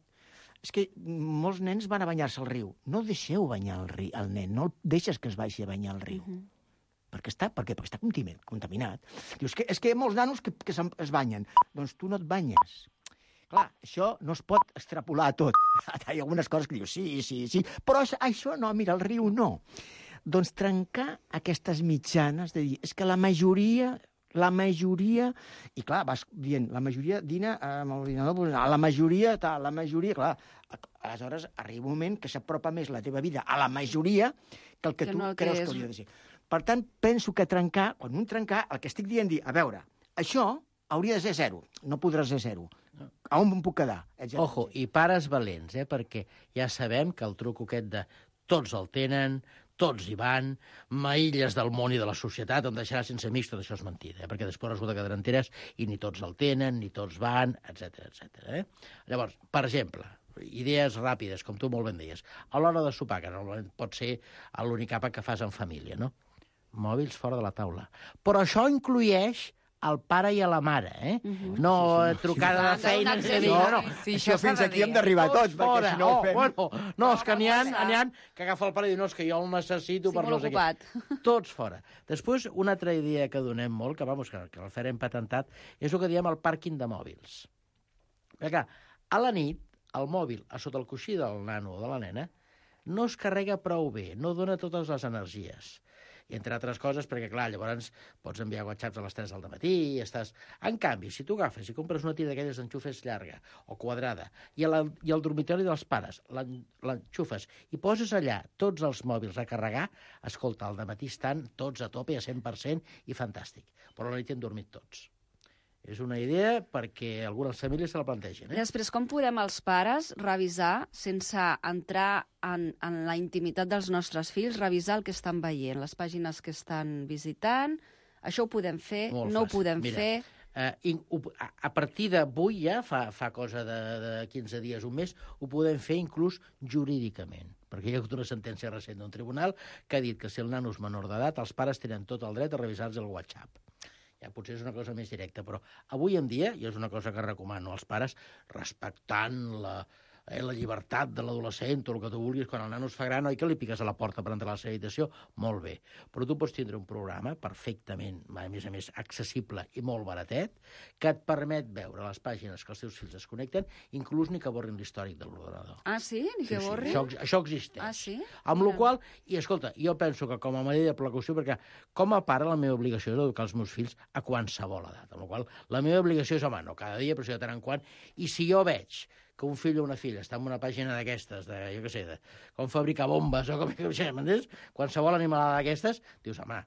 H: és que molts nens van a banyar-se al riu. No deixeu banyar el, riu, el nen, no el deixes que es vagi a banyar al riu. Uh -huh. Perquè està, per què? Perquè està contaminat. Dius que és que hi ha molts nanos que, que es banyen. Doncs tu no et banyes. Clar, això no es pot extrapolar a tot. Hi ha algunes coses que dius, sí, sí, sí, però això no, mira, el riu no. Doncs trencar aquestes mitjanes de dir, és que la majoria, la majoria, i clar, vas dient, la majoria dina amb l'ordinador, la majoria, tal, la majoria, clar, aleshores arriba un moment que s'apropa més la teva vida a la majoria que el que, que tu no, creus que, que hauria de ser. Per tant, penso que trencar, quan un trencar, el que estic dient dir, a veure, això hauria de ser zero, no podrà ser zero. A on em puc quedar? Etcètera.
J: Ojo, i pares valents, eh? Perquè ja sabem que el truc aquest de tots el tenen, tots hi van, maïlles del món i de la societat, em deixarà sense amics, tot això és mentida, eh? Perquè després resulta que t'enteres i ni tots el tenen, ni tots van, etcètera, etcètera. Eh? Llavors, per exemple, idees ràpides, com tu molt ben deies, a l'hora de sopar, que normalment pot ser l'únic àpat que fas en família, no? Mòbils fora de la taula. Però això inclueix al pare i a la mare, eh? Uh-huh. No sí, sí, trucada de feina...
H: No, no, sí, això fins aquí hem d'arribar tots, perquè si no ho fem...
J: Bueno, no, és que n'hi ha, n'hi ha que agafa el pare i diu, no, és que jo el necessito per no sé què. Tots fora. Després, una altra idea que donem molt, que, vamos, que, que el farem patentat, és el que diem el pàrquing de mòbils. Perquè a la nit, el mòbil a sota el coixí del nano o de la nena no es carrega prou bé, no dona totes les energies. I entre altres coses, perquè, clar, llavors pots enviar whatsapps a les tres del matí i estàs... En canvi, si tu agafes i compres una tira d'aquelles d'enxufes llarga o quadrada i, la, i el dormitori dels pares l'enxufes i poses allà tots els mòbils a carregar, escolta, al dematí estan tots a tope a cent per cent i fantàstic. Però a la nit hem dormit tots. És una idea perquè algunes famílies se la plantegen. Eh?
F: Després, com podem els pares revisar, sense entrar en, en la intimitat dels nostres fills, revisar el que estan veient, les pàgines que estan visitant? Això ho podem fer, Molt no fàcil. Ho podem
J: Mira,
F: fer...
J: Eh, a, a partir d'avui, ja, fa, fa cosa de, de quinze dies, un mes, ho podem fer inclús jurídicament. Perquè hi ha hagut una sentència recent d'un tribunal que ha dit que si el nano és menor d'edat, els pares tenen tot el dret a revisar-los el WhatsApp. Ja potser és una cosa més directa, però avui en dia, i és una cosa que recomano als pares, respectant la, eh, la llibertat de l'adolescent o el que tu vulguis, quan el nano es fa gran, oi que li piques a la porta per entrar a la seva habitació? Molt bé. Però tu pots tindre un programa perfectament, a més a més, accessible i molt baratet, que et permet veure les pàgines que els teus fills es connecten, inclús ni que borrin l'històric de l'ordenador.
F: Ah, sí? Ni que
J: sí,
F: borrin?
J: Sí, això, això existeix.
F: Ah, sí?
J: Amb la qual, i escolta, jo penso que com a medida de precaució, perquè com a pare la meva obligació és educar els meus fills a qualsevol edat, amb la qual la meva obligació és, home, no cada dia, però sí de tant en quant, i si jo veig que un fill o una filla està en una pàgina d'aquestes, de, jo què sé, de com fabricar bombes o com, m'entens? Qualsevol animalada d'aquestes, dius, home,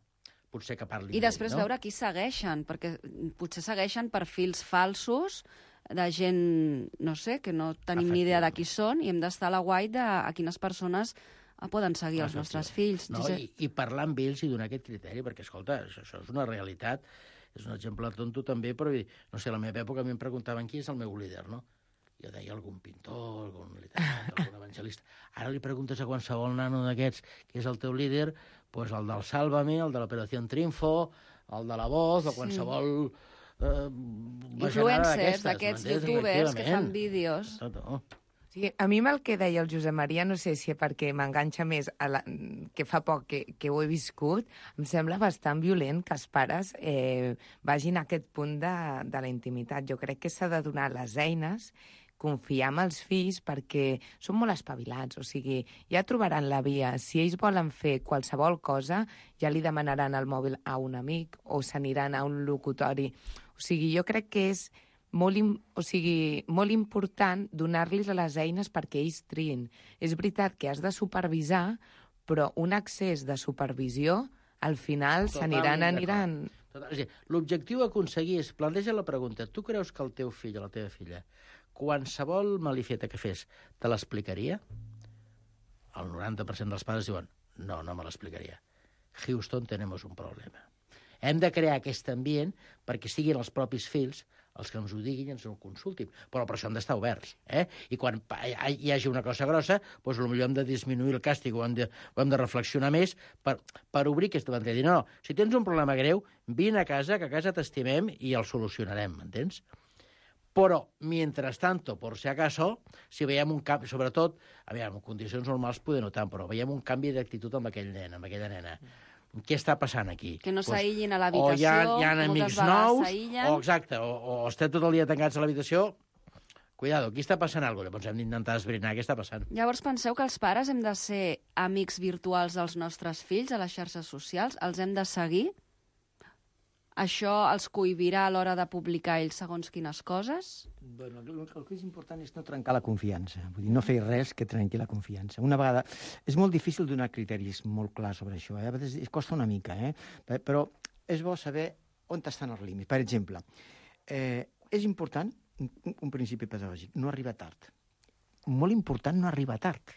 J: potser que parli.
F: I després
J: no?
F: veure qui segueixen, perquè potser segueixen perfils falsos de gent, no sé, que no tenim ni idea de qui són, i hem d'estar a la guai de a quines persones poden seguir els nostres fills.
J: No, i, i parlar amb ells i donar aquest criteri, perquè, escolta, això, això és una realitat, és un exemple tonto també, però, no sé, a la meva època a mi em preguntaven qui és el meu líder, no? Jo deia algun pintor, algun literat, algun evangelista. Ara li preguntes a qualsevol nano d'aquests qui és el teu líder, doncs el del Sálvame, el de l'Operació Triunfo, el de La Voz, o qualsevol... Eh,
F: influencers, d'aquests youtubers que fan vídeos.
J: Tot, oh.
I: Sí, a mi el que deia el Josep Maria, no sé si perquè m'enganxa més, a la, que fa poc que, que ho he viscut, em sembla bastant violent que els pares eh, vagin a aquest punt de, de la intimitat. Jo crec que s'ha de donar les eines, confiar en els fills perquè són molt espavilats, o sigui, ja trobaran la via. Si ells volen fer qualsevol cosa, ja li demanaran el mòbil a un amic o s'aniran a un locutori. O sigui, jo crec que és molt, o sigui, molt important donar-los les eines perquè ells triïn. És veritat que has de supervisar, però un excés de supervisió, al final s'aniran, aniran...
J: L'objectiu a aconseguir és, planteja la pregunta, tu creus que el teu fill o la teva filla qualsevol malifeta que fes te l'explicaria? El noranta per cent dels pares diuen, no, no me l'explicaria. Houston, tenemos un problema. Hem de crear aquest ambient perquè siguin els propis fills els que ens ho diguin i ens ho consultin. Però per això hem d'estar oberts. Eh? I quan hi hagi una cosa grossa, doncs potser hem de disminuir el càstig o hem de, o hem de reflexionar més per, per obrir aquesta ventall. Dir, no, no, si tens un problema greu, vine a casa, que a casa t'estimem i el solucionarem, m'entens? Però, mientras tanto, por si acaso, si veiem un canvi, sobretot, aviam, en condicions normals poder no tant, però veiem un canvi d'actitud amb aquell nen, amb aquella nena. Què està passant aquí?
F: Que no
J: pues,
F: s'aïllin a l'habitació,
J: o hi ha, hi ha amics nous,
F: s'aïllen.
J: o exacte, o, o estem tot el dia tancats a l'habitació, cuidado, aquí està passant alguna cosa. Llavors hem d'intentar esbrinar què està passant.
F: Llavors penseu que els pares hem de ser amics virtuals dels nostres fills a les xarxes socials? Els hem de seguir? Això els cohibirà a l'hora de publicar ells segons quines coses?
H: Bueno, el, el que és important és no trencar la confiança. Vull dir, no fer res que trenqui la confiança. Una vegada... És molt difícil donar criteris molt clars sobre això. Eh? A vegades es costa una mica, eh? Però és bo saber on estan els límits. Per exemple, eh, és important, un, un principi pedagògic, no arribar tard. Molt important no arribar tard.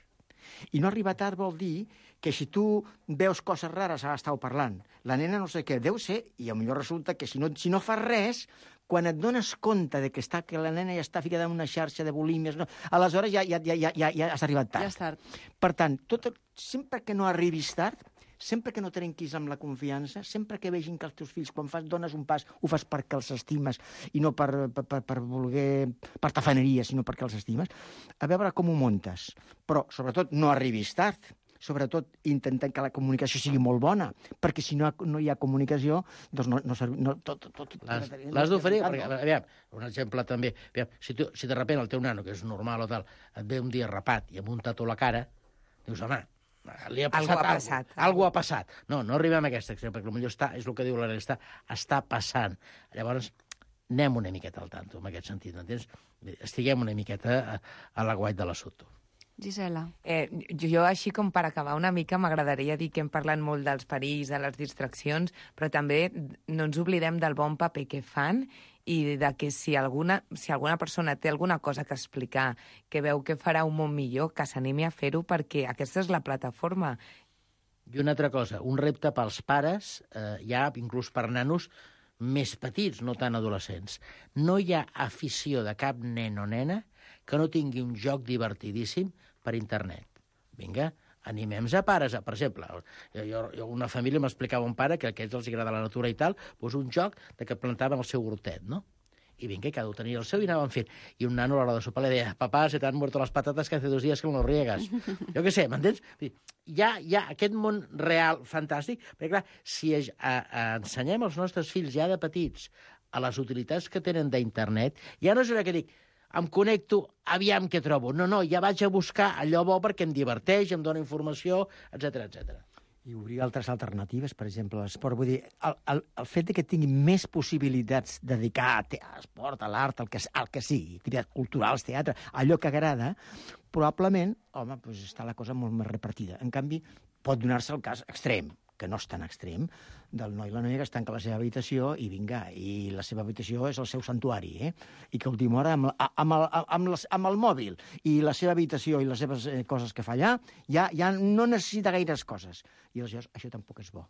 H: I no arribar tard vol dir que si tu veus coses rares, ara estàu parlant, la nena no sé què, deu ser, i potser resulta que si no, si no fas res, quan et dones compte de que, està, que la nena ja està ficada en una xarxa de bulímies, no, aleshores ja, ja, ja, ja, ja has arribat tard.
F: Ja és tard.
H: Per tant, tot, sempre que no arribis tard, sempre que no trenquis amb la confiança, sempre que vegin que els teus fills, quan fas, dones un pas, ho fas perquè els estimes i no per, per, per, per voler, per tafaneria, sinó perquè els estimes, a veure com ho muntes. Però, sobretot, no arribis tard. Sobretot, intentant que la comunicació sigui molt bona, perquè si no, no hi ha comunicació, doncs no... no, no tot, tot,
J: L'has d'oferir, perquè, aviam, un exemple també, aviam, si, tu, si de repente el teu nano, que és normal o tal, et ve un dia rapat i amb un tatu a la cara, dius, home, li ha passat
I: algo ha passat.
J: Algo ha passat. No, no arribem a aquest extrem, perquè potser està, és el que diu l'Arel, està, està passant. Llavors, anem una miqueta al tanto, en aquest sentit, m'entens? Estiguem una miqueta a, a l'aguait de l'assumpte.
F: Gisela.
I: Eh, jo, així com per acabar una mica, m'agradaria dir que hem parlat molt dels perills, de les distraccions, però també no ens oblidem del bon paper que fan i de que si alguna, si alguna persona té alguna cosa que explicar, que veu que farà un món millor, que s'animi a fer-ho, perquè aquesta és la plataforma.
J: I una altra cosa, un repte pels pares, eh, ja inclús per nanos més petits, no tan adolescents. No hi ha afició de cap nen o nena que no tingui un joc divertidíssim per internet. Vinga, animem-nos a pares. Per exemple, jo, jo, una família m'explicava un pare que a aquests els agrada la natura i tal, doncs un joc de que plantaven el seu hortet, no? I vinga, cada un tenia el seu i anaven fent. I un nano a l'hora de sopar li deia, papà, se t'han muerto las patatas que hace dos días que no riegas. Jo què sé, m'entens? Hi ha, hi ha aquest món real fantàstic, perquè clar, si a, a, ensenyem als nostres fills ja de petits a les utilitats que tenen d'internet, ja no és una que dic, em connecto, aviam què trobo. No, no, ja vaig a buscar allò bo perquè em diverteix, em dona informació, etcètera, etcètera.
H: I obrir altres alternatives, per exemple, l'esport. Vull dir, el, el, el fet de que tingui més possibilitats de dedicar a, a l'esport, a l'art, al que, al que sigui, activitats culturals, teatre, allò que agrada, probablement, home, doncs està la cosa molt més repartida. En canvi, pot donar-se el cas extrem, que no és tan extrem, del noi i la noia que es tanca a la seva habitació i vinga, i la seva habitació és el seu santuari, eh? I que a última hora, amb, amb, el, amb, les, amb el mòbil i la seva habitació i les seves eh, coses que fa allà, ja, ja no necessita gaires coses. I aleshores això tampoc és bo.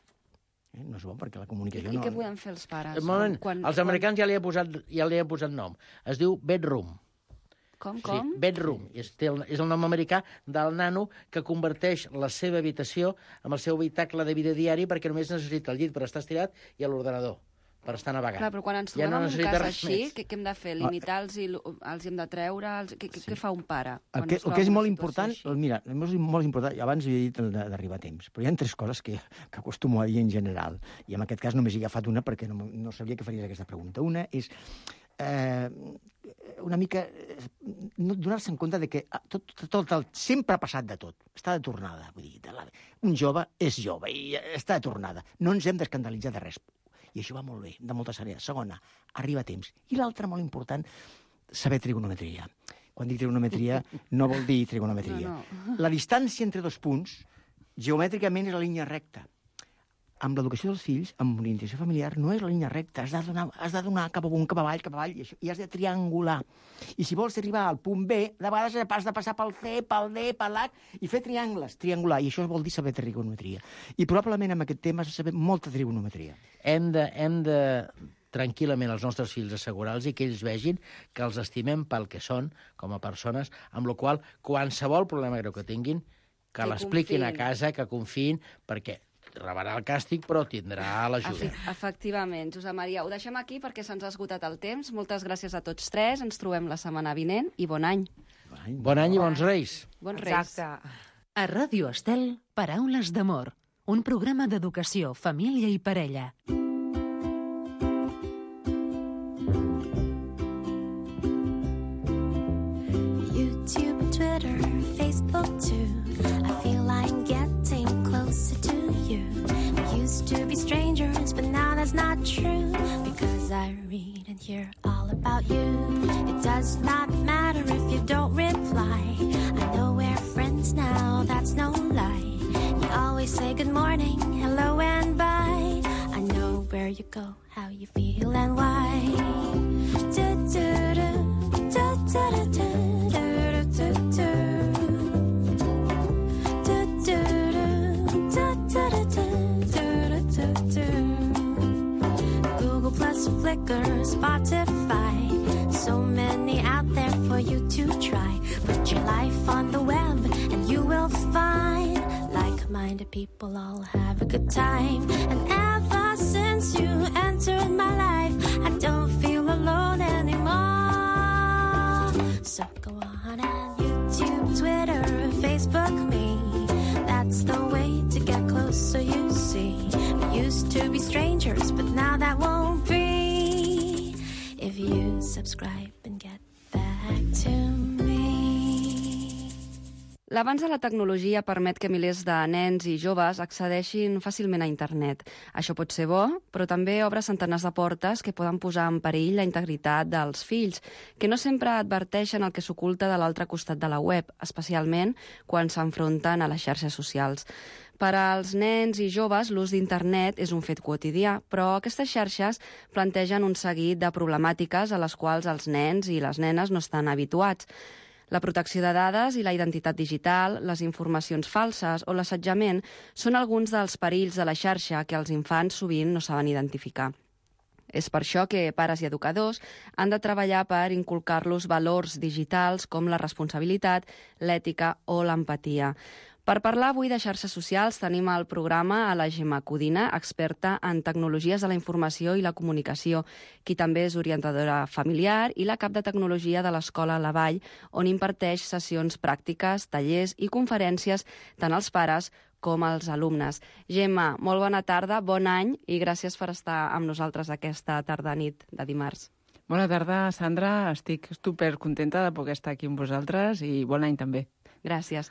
H: Eh? No és bo perquè la comunicació
F: I,
H: no...
F: I què podem fer els pares?
J: Un moment,
F: quan,
J: els americans quan... ja li han posat, ja li han posat nom. Es diu bedroom.
F: Com,
J: Sí,
F: com?
J: bedroom. És, té el, és el nom americà del nano que converteix la seva habitació en el seu habitacle de vida diari perquè només necessita el llit per estar estirat i a l'ordenador per estar navegant.
F: Clar, però quan ens
J: Ja
F: trobem
J: no
F: en un
J: necessita
F: cas
J: res
F: així,
J: més.
F: què, què hem de fer? Limitar-los i els hem de treure? Els... Què, què,
H: Sí.
F: què fa un pare?
H: El
F: quan
H: que,
F: es
H: el
F: troba
H: que és
F: en una
H: molt
F: situació
H: important,
F: així?
H: mira, és molt important, i abans havia dit el de- d'arribar a temps, però hi ha tres coses que, que acostumo a dir en general, i en aquest cas només he agafat una perquè no, no sabia que faries aquesta pregunta. Una és eh, una mica eh, no donar-se en compte de que ah, tot, tot, tot el, sempre ha passat de tot, està de tornada, vull dir, de la, un jove és jove i està de tornada, no ens hem d'escandalitzar de res. I això va molt bé, de moltes àrees. Segona, arriba a temps. I l'altra, molt important, saber trigonometria. Quan dic trigonometria, no vol dir trigonometria.
F: No, no.
H: La distància entre dos punts, geomètricament, és la línia recta. Amb l'educació dels fills, amb orientació familiar, no és la línia recta. Has de donar, has de donar cap amunt, cap avall, cap avall, i, això, i has de triangular. I si vols arribar al punt B, de vegades has de passar pel C, pel D, per l'H, i fer triangles, triangular. I això vol dir saber trigonometria. I probablement amb aquest tema has de saber molta trigonometria.
J: Hem de, hem de tranquil·lament els nostres fills, assegurar-los i que ells vegin que els estimem pel que són, com a persones, amb la qual qualsevol problema greu que tinguin, que, que l'expliquin a casa, que confiïn, perquè rebrà el càstig, però tindrà l'ajuda.
F: Efectivament. Josep Maria, ho deixem aquí perquè se'ns ha esgotat el temps. Moltes gràcies a tots tres. Ens trobem la setmana vinent i bon any.
J: Bon any i bons reis.
F: Bons reis.
I: Exacte.
C: A Ràdio Estel, Paraules d'amor, un programa d'educació, família i parella.
K: YouTube, Twitter, Facebook too. I feel I'm getting closer to you. We used to be strangers, but now that's not true. Because I read and hear all about you. It does not matter if you don't reply. I know we're friends now, that's no lie. You always say good morning, hello and bye. I know where you go, how you feel and why. Do, do, do, do, do, do, do. Google Plus, Flickr, Spotify, so many out there for you to try. Put your life on the web and you will find like-minded people all have a good time. And ever since you entered my life, I don't feel alone anymore. So go on and YouTube, Twitter, Facebook me. That's the way to get closer, you see. We used to be strangers, but now that won't be. If you subscribe and get back to me.
F: L'avanç de la tecnologia permet que milers de nens i joves accedeixin fàcilment a internet. Això pot ser bo, però també obre centenars de portes que poden posar en perill la integritat dels fills, que no sempre adverteixen el que s'oculta de l'altre costat de la web, especialment quan s'enfronten a les xarxes socials. Per als nens i joves, l'ús d'internet és un fet quotidià, però aquestes xarxes plantegen un seguit de problemàtiques a les quals els nens i les nenes no estan habituats. La protecció de dades i la identitat digital, les informacions falses o l'assetjament són alguns dels perills de la xarxa que els infants sovint no saben identificar. És per això que pares i educadors han de treballar per inculcar-los valors digitals com la responsabilitat, l'ètica o l'empatia. Per parlar avui de xarxes socials tenim al programa a la Gemma Codina, experta en tecnologies de la informació i la comunicació, qui també és orientadora familiar i la cap de tecnologia de l'Escola La Vall, on imparteix sessions pràctiques, tallers i conferències tant als pares com als alumnes. Gemma, molt bona tarda, bon any i gràcies per estar amb nosaltres aquesta tarda-nit de dimarts.
L: Bona tarda, Sandra. Estic supercontenta de poder estar aquí amb vosaltres i bon any també.
F: Gràcies.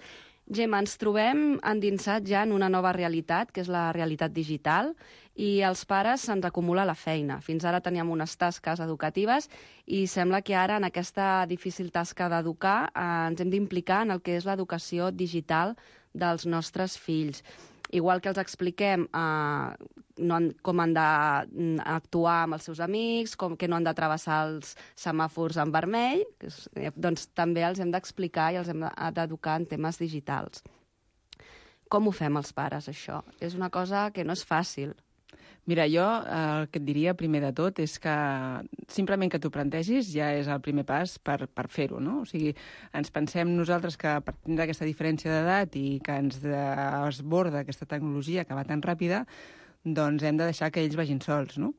F: Gemma, ens trobem endinsats ja en una nova realitat, que és la realitat digital, i als pares se'ns acumula la feina. Fins ara teníem unes tasques educatives i sembla que ara en aquesta difícil tasca d'educar eh, ens hem d'implicar en el que és l'educació digital dels nostres fills. Igual que els expliquem eh, no han, com han d'actuar amb els seus amics, com que no han de travessar els semàfors en vermell, doncs també els hem d'explicar i els hem d'educar en temes digitals. Com ho fem els pares, això? És una cosa que no és fàcil.
L: Mira, jo el que et diria primer de tot és que simplement que t'ho plantegis ja és el primer pas per, per fer-ho, no? O sigui, ens pensem nosaltres que per tindre aquesta diferència d'edat i que ens desborda aquesta tecnologia que va tan ràpida, doncs hem de deixar que ells vagin sols, no?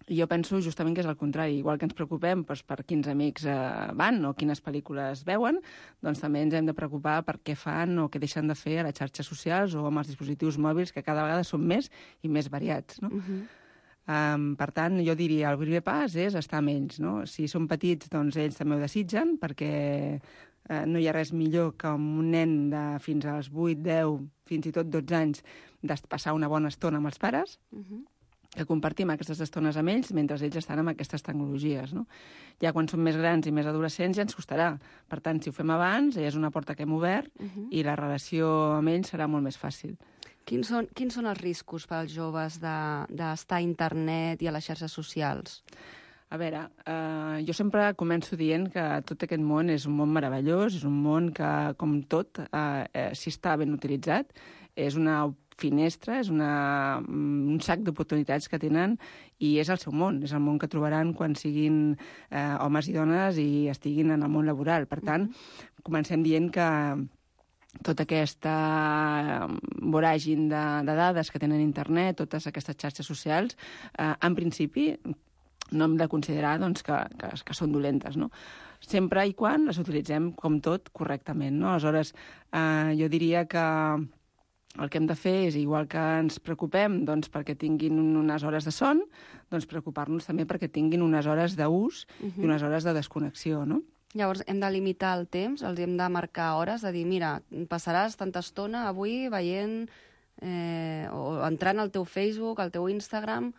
L: I jo penso justament que és el contrari. Igual que ens preocupem doncs, per quins amics eh, van o quines pel·lícules veuen, doncs també ens hem de preocupar per què fan o què deixen de fer a les xarxes socials o amb els dispositius mòbils, que cada vegada són més i més variats, no? Uh-huh. Um, per tant, jo diria, el primer pas és estar amb ells, no? Si són petits, doncs ells també ho desitgen, perquè eh, no hi ha res millor que un nen de fins als vuit, deu, fins i tot dotze anys de passar una bona estona amb els pares, uh-huh. que compartim aquestes estones amb ells mentre ells estan amb aquestes tecnologies, no? Ja quan són més grans i més adolescents ja ens costarà. Per tant, si ho fem abans, ja és una porta que hem obert uh-huh. i la relació amb ells serà molt més fàcil.
F: Quins són, quins són els riscos pels joves d'estar de, a internet i a les xarxes socials?
L: A veure, eh, jo sempre començo dient que tot aquest món és un món meravellós, és un món que, com tot, eh, eh, si està ben utilitzat, és una finestra, és una, un sac d'oportunitats que tenen i és el seu món, és el món que trobaran quan siguin eh, homes i dones i estiguin en el món laboral. Per tant, comencem dient que tota aquesta voràgin de, de dades que tenen internet, totes aquestes xarxes socials, eh, en principi no hem de considerar doncs, que, que, que són dolentes, no? Sempre i quan les utilitzem, com tot, correctament, no? Aleshores, eh, jo diria que el que hem de fer és, igual que ens preocupem doncs, perquè tinguin unes hores de son, doncs preocupar-nos també perquè tinguin unes hores d'ús uh-huh. i unes hores de desconnexió, no?
F: Llavors, hem de limitar el temps, els hem de marcar hores, de dir, mira, passaràs tanta estona avui veient eh, o entrant al teu Facebook, al teu Instagram,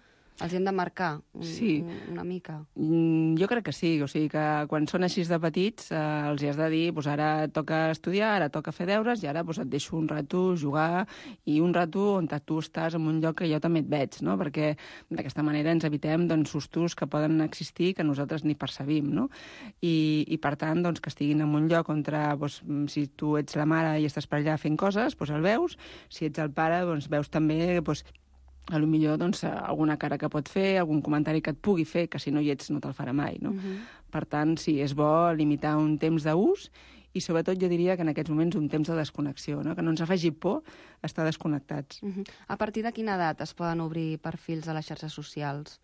F: els hem de marcar un,
L: sí.
F: una mica.
L: Mm, jo crec que sí, o sigui que quan són així de petits eh, els hi has de dir, doncs ara toca estudiar, ara toca fer deures i ara doncs, et deixo un rato jugar i un rato on tu estàs en un lloc que jo també et veig, no? Perquè d'aquesta manera ens evitem doncs, sustos que poden existir que nosaltres ni percebim, no? I, i per tant, doncs, que estiguin en un lloc on doncs, si tu ets la mare i estàs per allà fent coses, doncs el veus, si ets el pare, doncs veus també doncs, a lo millor doncs, alguna cara que pot fer, algun comentari que et pugui fer, que si no hi ets no te'l farà mai, no? Uh-huh. Per tant, sí, és bo limitar un temps d'ús i sobretot jo diria que en aquests moments un temps de desconnexió, no? Que no ens faci por estar desconnectats.
F: Uh-huh. A partir de quina edat es poden obrir perfils a les xarxes socials?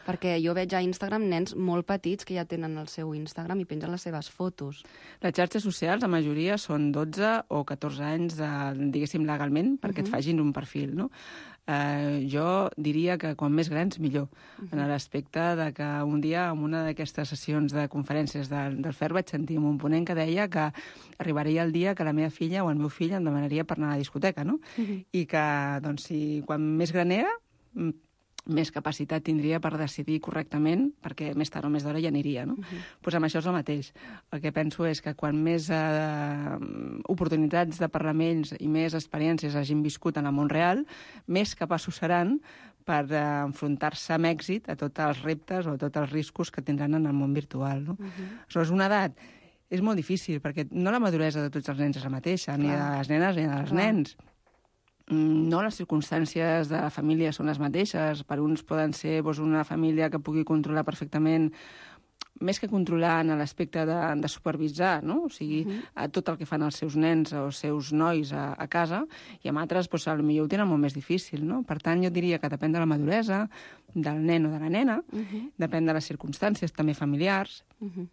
F: Perquè jo veig a Instagram nens molt petits que ja tenen el seu Instagram i pengen les seves fotos.
L: Les xarxes socials, la majoria, són dotze o catorze anys, de, diguéssim, legalment, perquè uh-huh. et fagin un perfil, no? Uh, jo diria que quan més grans, millor, uh-huh. en l'aspecte de que un dia, en una d'aquestes sessions de conferències del, del F E R, vaig sentir un ponent que deia que arribaria el dia que la meva filla o el meu fill em demanaria per anar a la discoteca, no? Uh-huh. I que, doncs, si quan més gran era, més capacitat tindria per decidir correctament, perquè més tard o més d'hora ja aniria, no? Uh-huh. Pues amb això és el mateix. El que penso és que quan més eh, oportunitats de parlar amb ells i més experiències hagin viscut en el món real, més capaços seran per eh, enfrontar-se amb èxit a tots els reptes o a tots els riscos que tindran en el món virtual, no? Uh-huh. Aleshores, una edat és molt difícil, perquè no la maduresa de tots els nens és la mateixa, Clar. Ni de les nenes ni de els Clar. Nens. No les circumstàncies de la família són les mateixes. Per uns poden ser doncs, una família que pugui controlar perfectament, més que controlar en l'aspecte de, de supervisar, no? O sigui, uh-huh. tot el que fan els seus nens o els seus nois a, a casa, i amb altres doncs, potser ho tenen molt més difícil, no? Per tant, jo diria que depèn de la maduresa, del nen o de la nena, uh-huh. depèn de les circumstàncies també familiars. Uh-huh.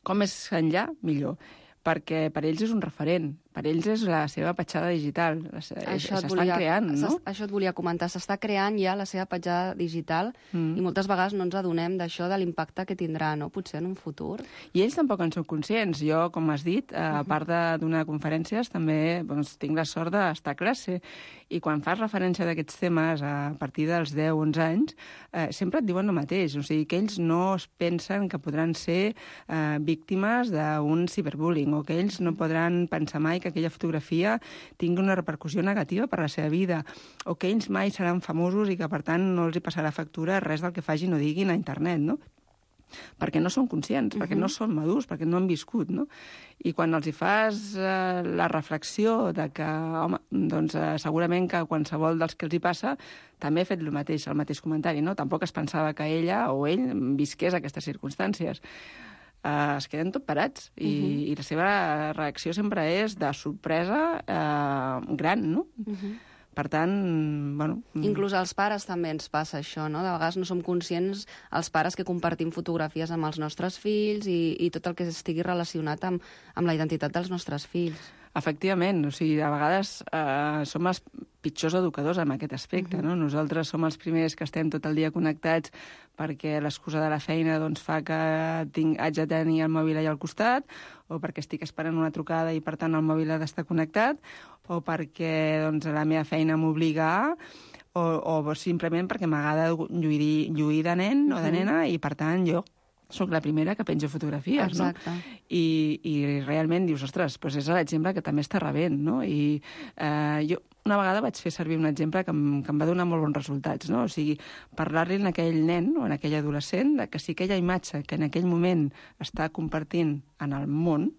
L: Com més enllà, millor. Perquè per ells és un referent, per ells és la seva petjada digital, s'estan creant, no?
F: Això et volia comentar, s'està creant ja la seva petjada digital mm. i moltes vegades no ens adonem d'això, de l'impacte que tindrà, no? Potser en un futur.
L: I ells tampoc en són conscients. Jo, com has dit, a part de donar conferències, també doncs, tinc la sort d'estar a classe, i quan fas referència d'aquests temes a partir dels deu o onze anys, eh, sempre et diuen el mateix, o sigui, que ells no es pensen que podran ser eh, víctimes d'un ciberbullying, o que ells no podran pensar mai que aquella fotografia tingui una repercussió negativa per la seva vida, o que ells mai seran famosos i que, per tant, no els hi passarà factura res del que fagin o diguin a internet, no? Perquè no són conscients, uh-huh. perquè no són madurs, perquè no han viscut, no? I quan els hi fas eh, la reflexió de que, home, doncs eh, segurament que qualsevol dels que els hi passa també ha fet el mateix, el mateix comentari, no? Tampoc es pensava que ella o ell visqués aquestes circumstàncies. Uh, es queden tot parats i, uh-huh. i la seva reacció sempre és de sorpresa uh, gran, no? Uh-huh. Per tant, bueno...
F: Inclús als pares també ens passa això, no? De vegades no som conscients, els pares, que compartim fotografies amb els nostres fills i, i tot el que estigui relacionat amb, amb la identitat dels nostres fills.
L: Efectivament, o sigui, a vegades eh, som els pitjors educadors en aquest aspecte, uh-huh. no? Nosaltres som els primers que estem tot el dia connectats perquè l'excusa de la feina doncs, fa que tinc, haig de tenir el mòbil allà al costat, o perquè estic esperant una trucada i, per tant, el mòbil ha d'estar connectat, o perquè doncs, la meva feina m'obliga a... O, o simplement perquè m'agrada lluir, lluir de nen uh-huh. o de nena i, per tant, jo soc la primera que penjo fotografies,
F: Exacte.
L: No? I, I realment dius, ostres, doncs és l'exemple que també està rebent, no? I eh, jo una vegada vaig fer servir un exemple que em, que em va donar molt bons resultats, no? O sigui, parlar-li a aquell nen o a aquell adolescent de que si aquella imatge que en aquell moment està compartint en el món,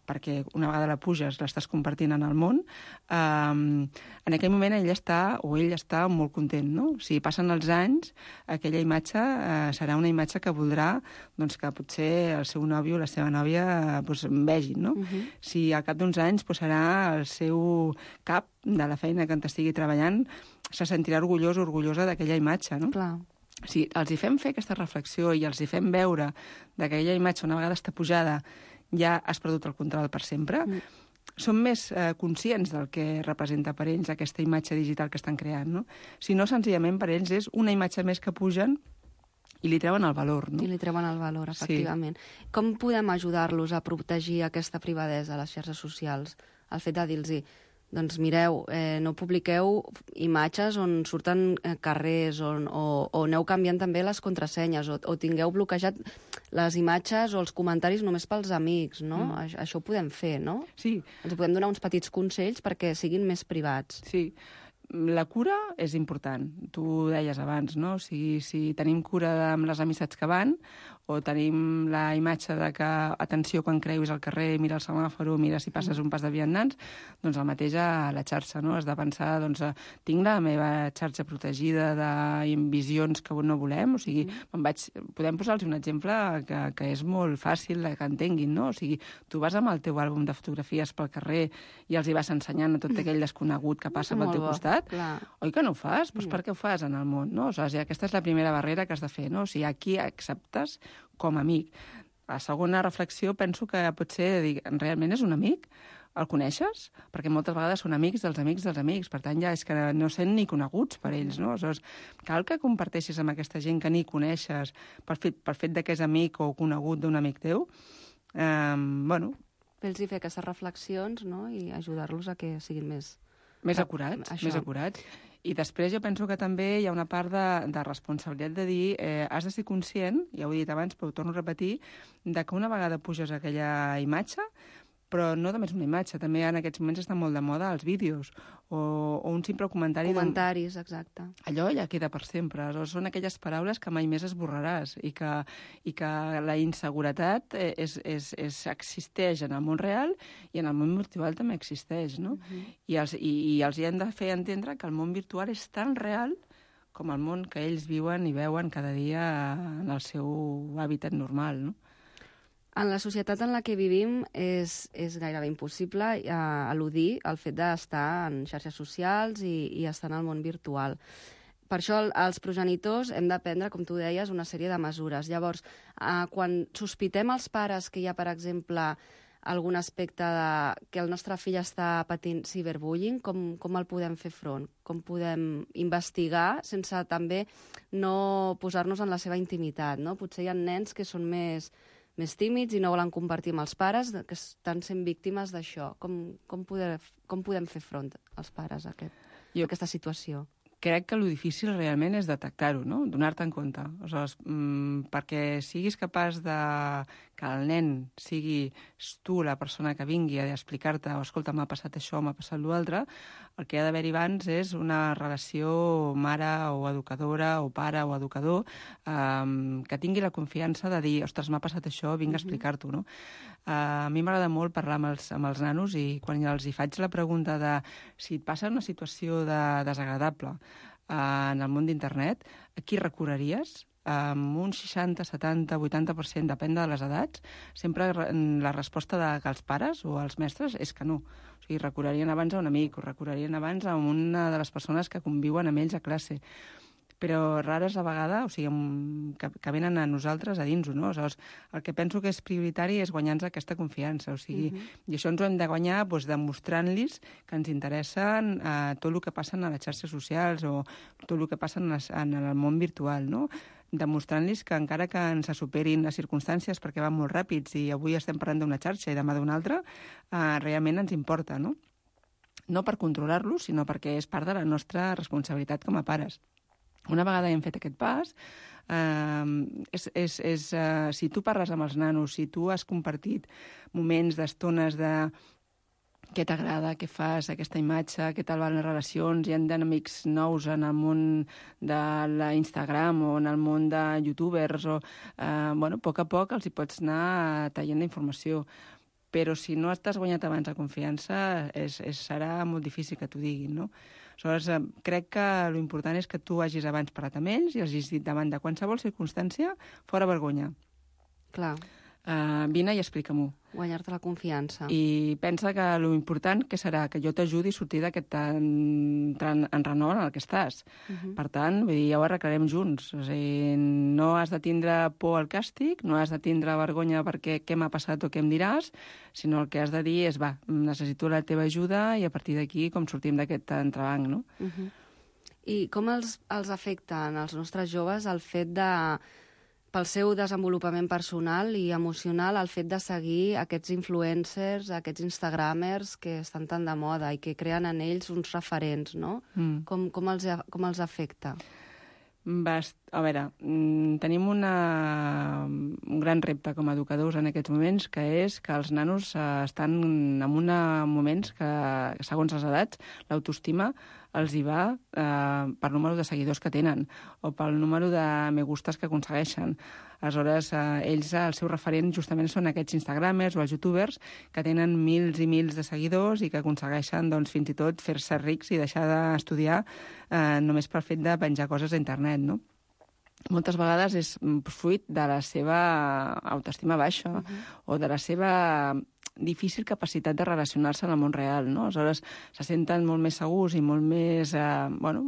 L: perquè una vegada la puges l'estàs compartint en el món, eh, en aquell moment ell està, o ell està molt content, no? Si passen els anys, aquella imatge eh, serà una imatge que voldrà doncs, que potser el seu nòvio o la seva nòvia eh, doncs, vegin, no? Uh-huh. Si al cap d'uns anys doncs, serà el seu cap de la feina que en estigui treballant, se sentirà orgullós o orgullosa d'aquella imatge, no?
F: Clar.
L: Si els hi fem fer aquesta reflexió i els hi fem veure que aquella imatge una vegada està pujada ja has perdut el control per sempre, mm. són més eh, conscients del que representa per ells aquesta imatge digital que estan creant, no? Si no, senzillament per ells és una imatge més que pugen i li treuen el valor, no?
F: I li treuen el valor, efectivament. Sí. Com podem ajudar-los a protegir aquesta privadesa a les xarxes socials? El fet de dir-los, doncs mireu, eh, no publiqueu imatges on surten eh, carrers, on, o, o aneu canviant també les contrasenyes, o, o tingueu bloquejat les imatges o els comentaris només pels amics, no? Mm. Això, això ho podem fer, no?
L: Sí.
F: Ens podem donar uns petits consells perquè siguin més privats.
L: Sí. La cura és important, tu ho deies abans, no? O sigui, si tenim cura amb les amistats que van, o tenim la imatge de que, atenció, quan creuis al carrer, mira el semàforo, mira si passes un pas de vianants, doncs el mateix a la xarxa, no? Has de pensar, doncs, tinc la meva xarxa protegida d'invisions que no volem, o sigui, me'n vaig... podem posar-los un exemple que, que és molt fàcil que entenguin, no? O sigui, tu vas amb el teu àlbum de fotografies pel carrer i els hi vas ensenyant a tot aquell desconegut que passa pel teu costat,
F: clar.
L: Oi que no ho fas? Doncs per què ho fas en el món, no? O sigui, aquesta és la primera barrera que has de fer, no? O sigui, aquí acceptes com a amic. La segona reflexió penso que potser dir, realment és un amic? El coneixes? Perquè moltes vegades són amics dels amics dels amics, per tant ja és que no sent ni coneguts per ells, no? Aleshores, cal que comparteixis amb aquesta gent que ni coneixes per fet, per fet de que és amic o conegut d'un amic teu. Eh, bueno...
F: Fer-los fer aquestes reflexions, no? I ajudar-los a que siguin més...
L: Més acurats, Això. més acurats. I després jo penso que també hi ha una part de, de responsabilitat de dir eh, has de ser conscient, ja ho he dit abans, però ho torno a repetir, de que una vegada puges aquella imatge, però no només una imatge, també en aquests moments està molt de moda els vídeos, o, o un simple comentari...
F: Comentaris, exacte.
L: Allò ja queda per sempre. Aleshores, són aquelles paraules que mai més esborraràs i que, i que la inseguretat és, és, és, existeix en el món real i en el món virtual també existeix, no? Uh-huh. I, els, i, I els hi hem de fer entendre que el món virtual és tan real com el món que ells viuen i veuen cada dia en el seu hàbitat normal, no?
F: En la societat en la que vivim és, és gairebé impossible eh, eludir el fet d'estar en xarxes socials i, i estar en el món virtual. Per això els progenitors hem de prendre, com tu deies, una sèrie de mesures. Llavors, eh, quan sospitem els pares que hi ha, per exemple, algun aspecte de que el nostre fill està patint ciberbullying, com, com el podem fer front? Com podem investigar sense també no posar-nos en la seva intimitat, no? Potser hi ha nens que són més... més tímids i no volen compartir amb els pares, que estan sent víctimes d'això. Com, com, poder, com podem fer front als pares a, aquest, jo... a aquesta situació?
L: Crec que el difícil realment és detectar-ho, no? Donar-te en compte. Aleshores, mmm, perquè siguis capaç de que el nen sigui tu la persona que vingui a explicar-te o escolta, m'ha passat això, m'ha passat l'altre, el que ha d'haver-hi abans és una relació mare o educadora o pare o educador um, que tingui la confiança de dir, ostres, m'ha passat això, vinc a explicar-t'ho, no? Uh, a mi m'agrada molt parlar amb els, amb els nanos i quan els hi faig la pregunta de si et passa una situació de desagradable uh, en el món d'internet, a qui recorreries? Amb un seixanta, setanta, vuitanta per cent, depèn de les edats, sempre la resposta de que els pares o els mestres és que no. O sigui, recorrerien abans a un amic o recorrerien abans a una de les persones que conviuen amb ells a classe. Però rares a vegada, o sigui, que, que venen a nosaltres a dins-ho, no? Aleshores, el que penso que és prioritari és guanyar-nos aquesta confiança, o sigui, uh-huh. I això ens ho hem de guanyar doncs, demostrant-los que ens interessen eh, tot el que passa a les xarxes socials o tot el que passa en, les, en el món virtual, no? Demostrant-los que encara que ens superin les circumstàncies perquè van molt ràpids i avui estem parlant d'una xarxa i demà d'una altra, eh, realment ens importa, no? No per controlar-los, sinó perquè és part de la nostra responsabilitat com a pares. Una vegada hem fet aquest pas, eh, és, és, és, eh, si tu parles amb els nanos, si tu has compartit moments d'estones de què t'agrada, què fas, aquesta imatge, què tal van les relacions, hi ha d'amics nous en el món de l'Instagram o en el món de youtubers, o, eh, bueno, a poc a poc els hi pots anar traient la informació. però si no t'has guanyat abans la confiança, és, és, serà molt difícil que t'ho diguin, no? Aleshores, eh, crec que l'important és que tu hagis abans parlat amb ells i hagis dit davant de qualsevol circumstància, fora vergonya.
F: Clar.
L: Uh, vine i explica-m'ho.
F: Guanyar-te la confiança.
L: I pensa que l'important que serà que jo t'ajudi a sortir d'aquest enrenou en el que estàs. Uh -huh. Per tant, vull dir, ja ho arreglarem junts. O sigui, no has de tindre por al càstig, no has de tindre vergonya perquè què m'ha passat o què em diràs, sinó el que has de dir és, va, necessito la teva ajuda i a partir d'aquí com sortim d'aquest entrebanc, no?
F: Uh -huh. I com els, els afecta als nostres joves el fet de... pel seu desenvolupament personal i emocional, el fet de seguir aquests influencers, aquests instagramers que estan tan de moda i que creen en ells uns referents, no? Mm. Com, com, els, com els afecta?
L: Bast... A veure, tenim una... un gran repte com a educadors en aquests moments, que és que els nanos estan en una... moments que, segons les edats, l'autoestima els hi va eh, per número de seguidors que tenen o pel número de me gustes que aconsegueixen. Aleshores, eh, ells, el seu referent justament són aquests instagramers o els youtubers que tenen mils i mils de seguidors i que aconsegueixen doncs, fins i tot fer-se rics i deixar d'estudiar eh, només pel fet de penjar coses a internet, no? Moltes vegades és fruit de la seva autoestima baixa uh -huh. o de la seva difícil capacitat de relacionar-se en el món real, no? Aleshores, se senten molt més segurs i molt més eh, bueno,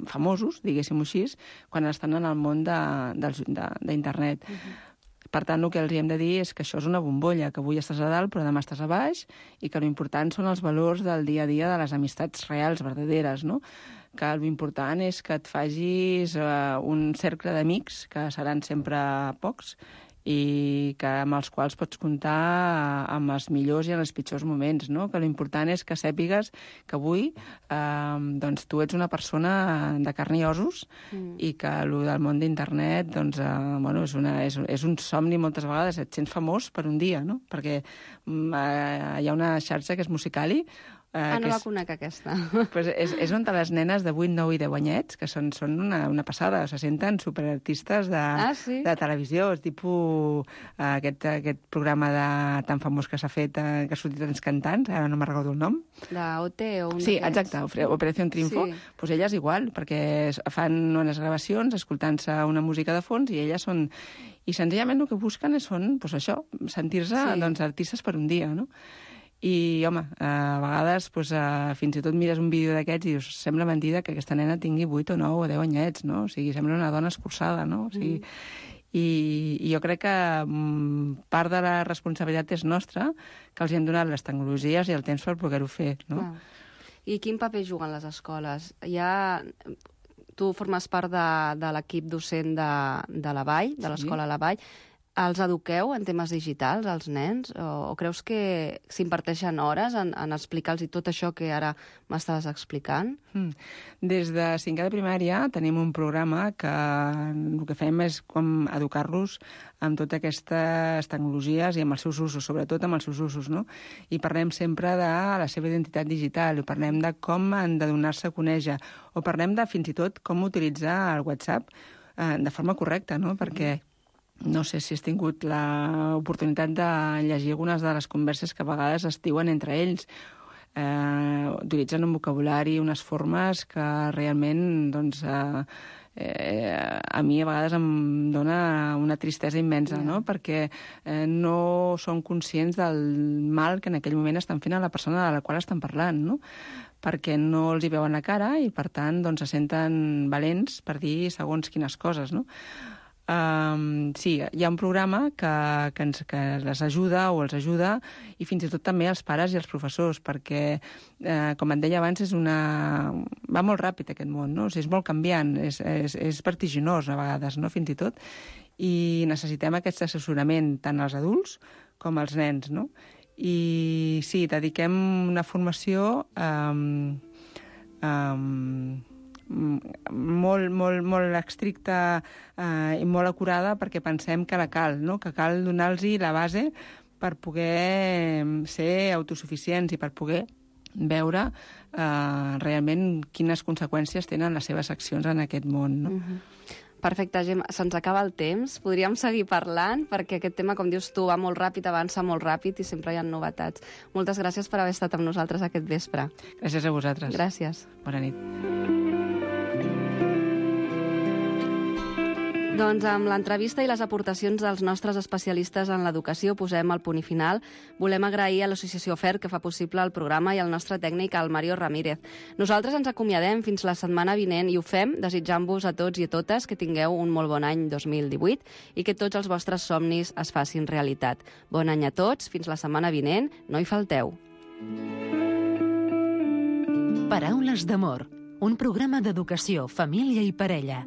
L: famosos, diguéssim-ho així, quan estan en el món d'internet. Uh -huh. Per tant, el que els hem de dir és que això és una bombolla, que avui estàs a dalt però demà estàs a baix i que l'important són els valors del dia a dia de les amistats reals, verdaderes, no? Que l'important és que et facis eh, un cercle d'amics, que seran sempre pocs, i que amb els quals pots comptar amb els millors i en els pitjors moments, no? Que l'important és que sàpigues que avui eh, doncs, tu ets una persona de carn i ossos mm. i que el del món d'internet doncs, eh, bueno, és, una, és, és un somni moltes vegades, et sents famós per un dia, no? Perquè eh, hi ha una xarxa que és Musical.ly.
F: Ah, no
L: la
F: és, conec, aquesta.
L: Pues és, és on les nenes de vuit, nou i deu anyets, que són, són una, una passada, se senten superartistes de,
F: ah, sí?
L: de televisió, és tipus aquest, aquest programa de, tan famós que s'ha fet, eh, que ha sortit tants cantants, ara no me'n recordo el nom.
F: La O T o un
L: Sí, exacte, Operació Triunfo. Sí. Pues elles igual, perquè fan unes gravacions escoltant-se una música de fons i elles són... I senzillament el que busquen són, pues això, sentir-se sí. doncs, artistes per un dia, no? I, home, a vegades doncs, fins i tot mires un vídeo d'aquests i dius, sembla mentida que aquesta nena tingui vuit o nou o deu anyets, no? O sigui, sembla una dona escurçada, no? O sigui, mm. i, i jo crec que mm, part de la responsabilitat és nostra, que els hem donat les tecnologies i el temps per poder-ho fer, no?
F: Ah. I quin paper juguen les escoles? Ja... Tu formes part de, de l'equip docent de, de la Vall, de l'escola sí. La Vall. Els eduqueu en temes digitals, als nens? O, o creus que s'imparteixen hores en, en explicar-los tot això que ara m'estaves explicant?
L: Mm. Des de cinquè de primària tenim un programa que el que fem és com educar-los amb totes aquestes tecnologies i amb els seus usos, sobretot amb els seus usos, no? I parlem sempre de la seva identitat digital, o parlem de com han de donar-se a conèixer, o parlem de fins i tot com utilitzar el WhatsApp eh, de forma correcta, no? Perquè no sé si has tingut l'oportunitat de llegir algunes de les converses que a vegades es diuen entre ells. Eh, utilitzen un vocabulari, unes formes que realment, doncs, eh, eh, a mi a vegades em dona una tristesa immensa, no? Perquè eh, no són conscients del mal que en aquell moment estan fent a la persona de la qual estan parlant, no? Perquè no els hi veuen la cara i, per tant, doncs, se senten valents per dir segons quines coses, no? Um, sí, hi ha un programa que, que, ens, que les ajuda o els ajuda i fins i tot també els pares i els professors, perquè, eh, com et deia abans, és una... va molt ràpid aquest món, no? O sigui, és molt canviant, és, és, és vertiginós a vegades, no? Fins i tot, i necessitem aquest assessorament tant als adults com als nens, no? I sí, dediquem una formació um, um, molt, molt, molt estricta eh, i molt acurada perquè pensem que la cal, no? Que cal donar-los la base per poder ser autosuficients i per poder veure eh, realment quines conseqüències tenen les seves accions en aquest món, no?
F: Uh-huh. Perfecte, Gemma. Se'ns acaba el temps. Podríem seguir parlant, perquè aquest tema, com dius tu, va molt ràpid, avança molt ràpid i sempre hi ha novetats. Moltes gràcies per haver estat amb nosaltres aquest vespre.
L: Gràcies a vosaltres.
F: Gràcies.
L: Bona nit.
F: Doncs amb l'entrevista i les aportacions dels nostres especialistes en l'educació posem el punt i final. Volem agrair a l'Associació F E R que fa possible el programa i al nostre tècnic, el Mario Ramírez. Nosaltres ens acomiadem fins la setmana vinent i ho fem desitjant-vos a tots i a totes que tingueu un molt bon any dos mil divuit i que tots els vostres somnis es facin realitat. Bon any a tots, fins la setmana vinent, no hi falteu.
C: Paraules d'amor, un programa d'educació, família i parella.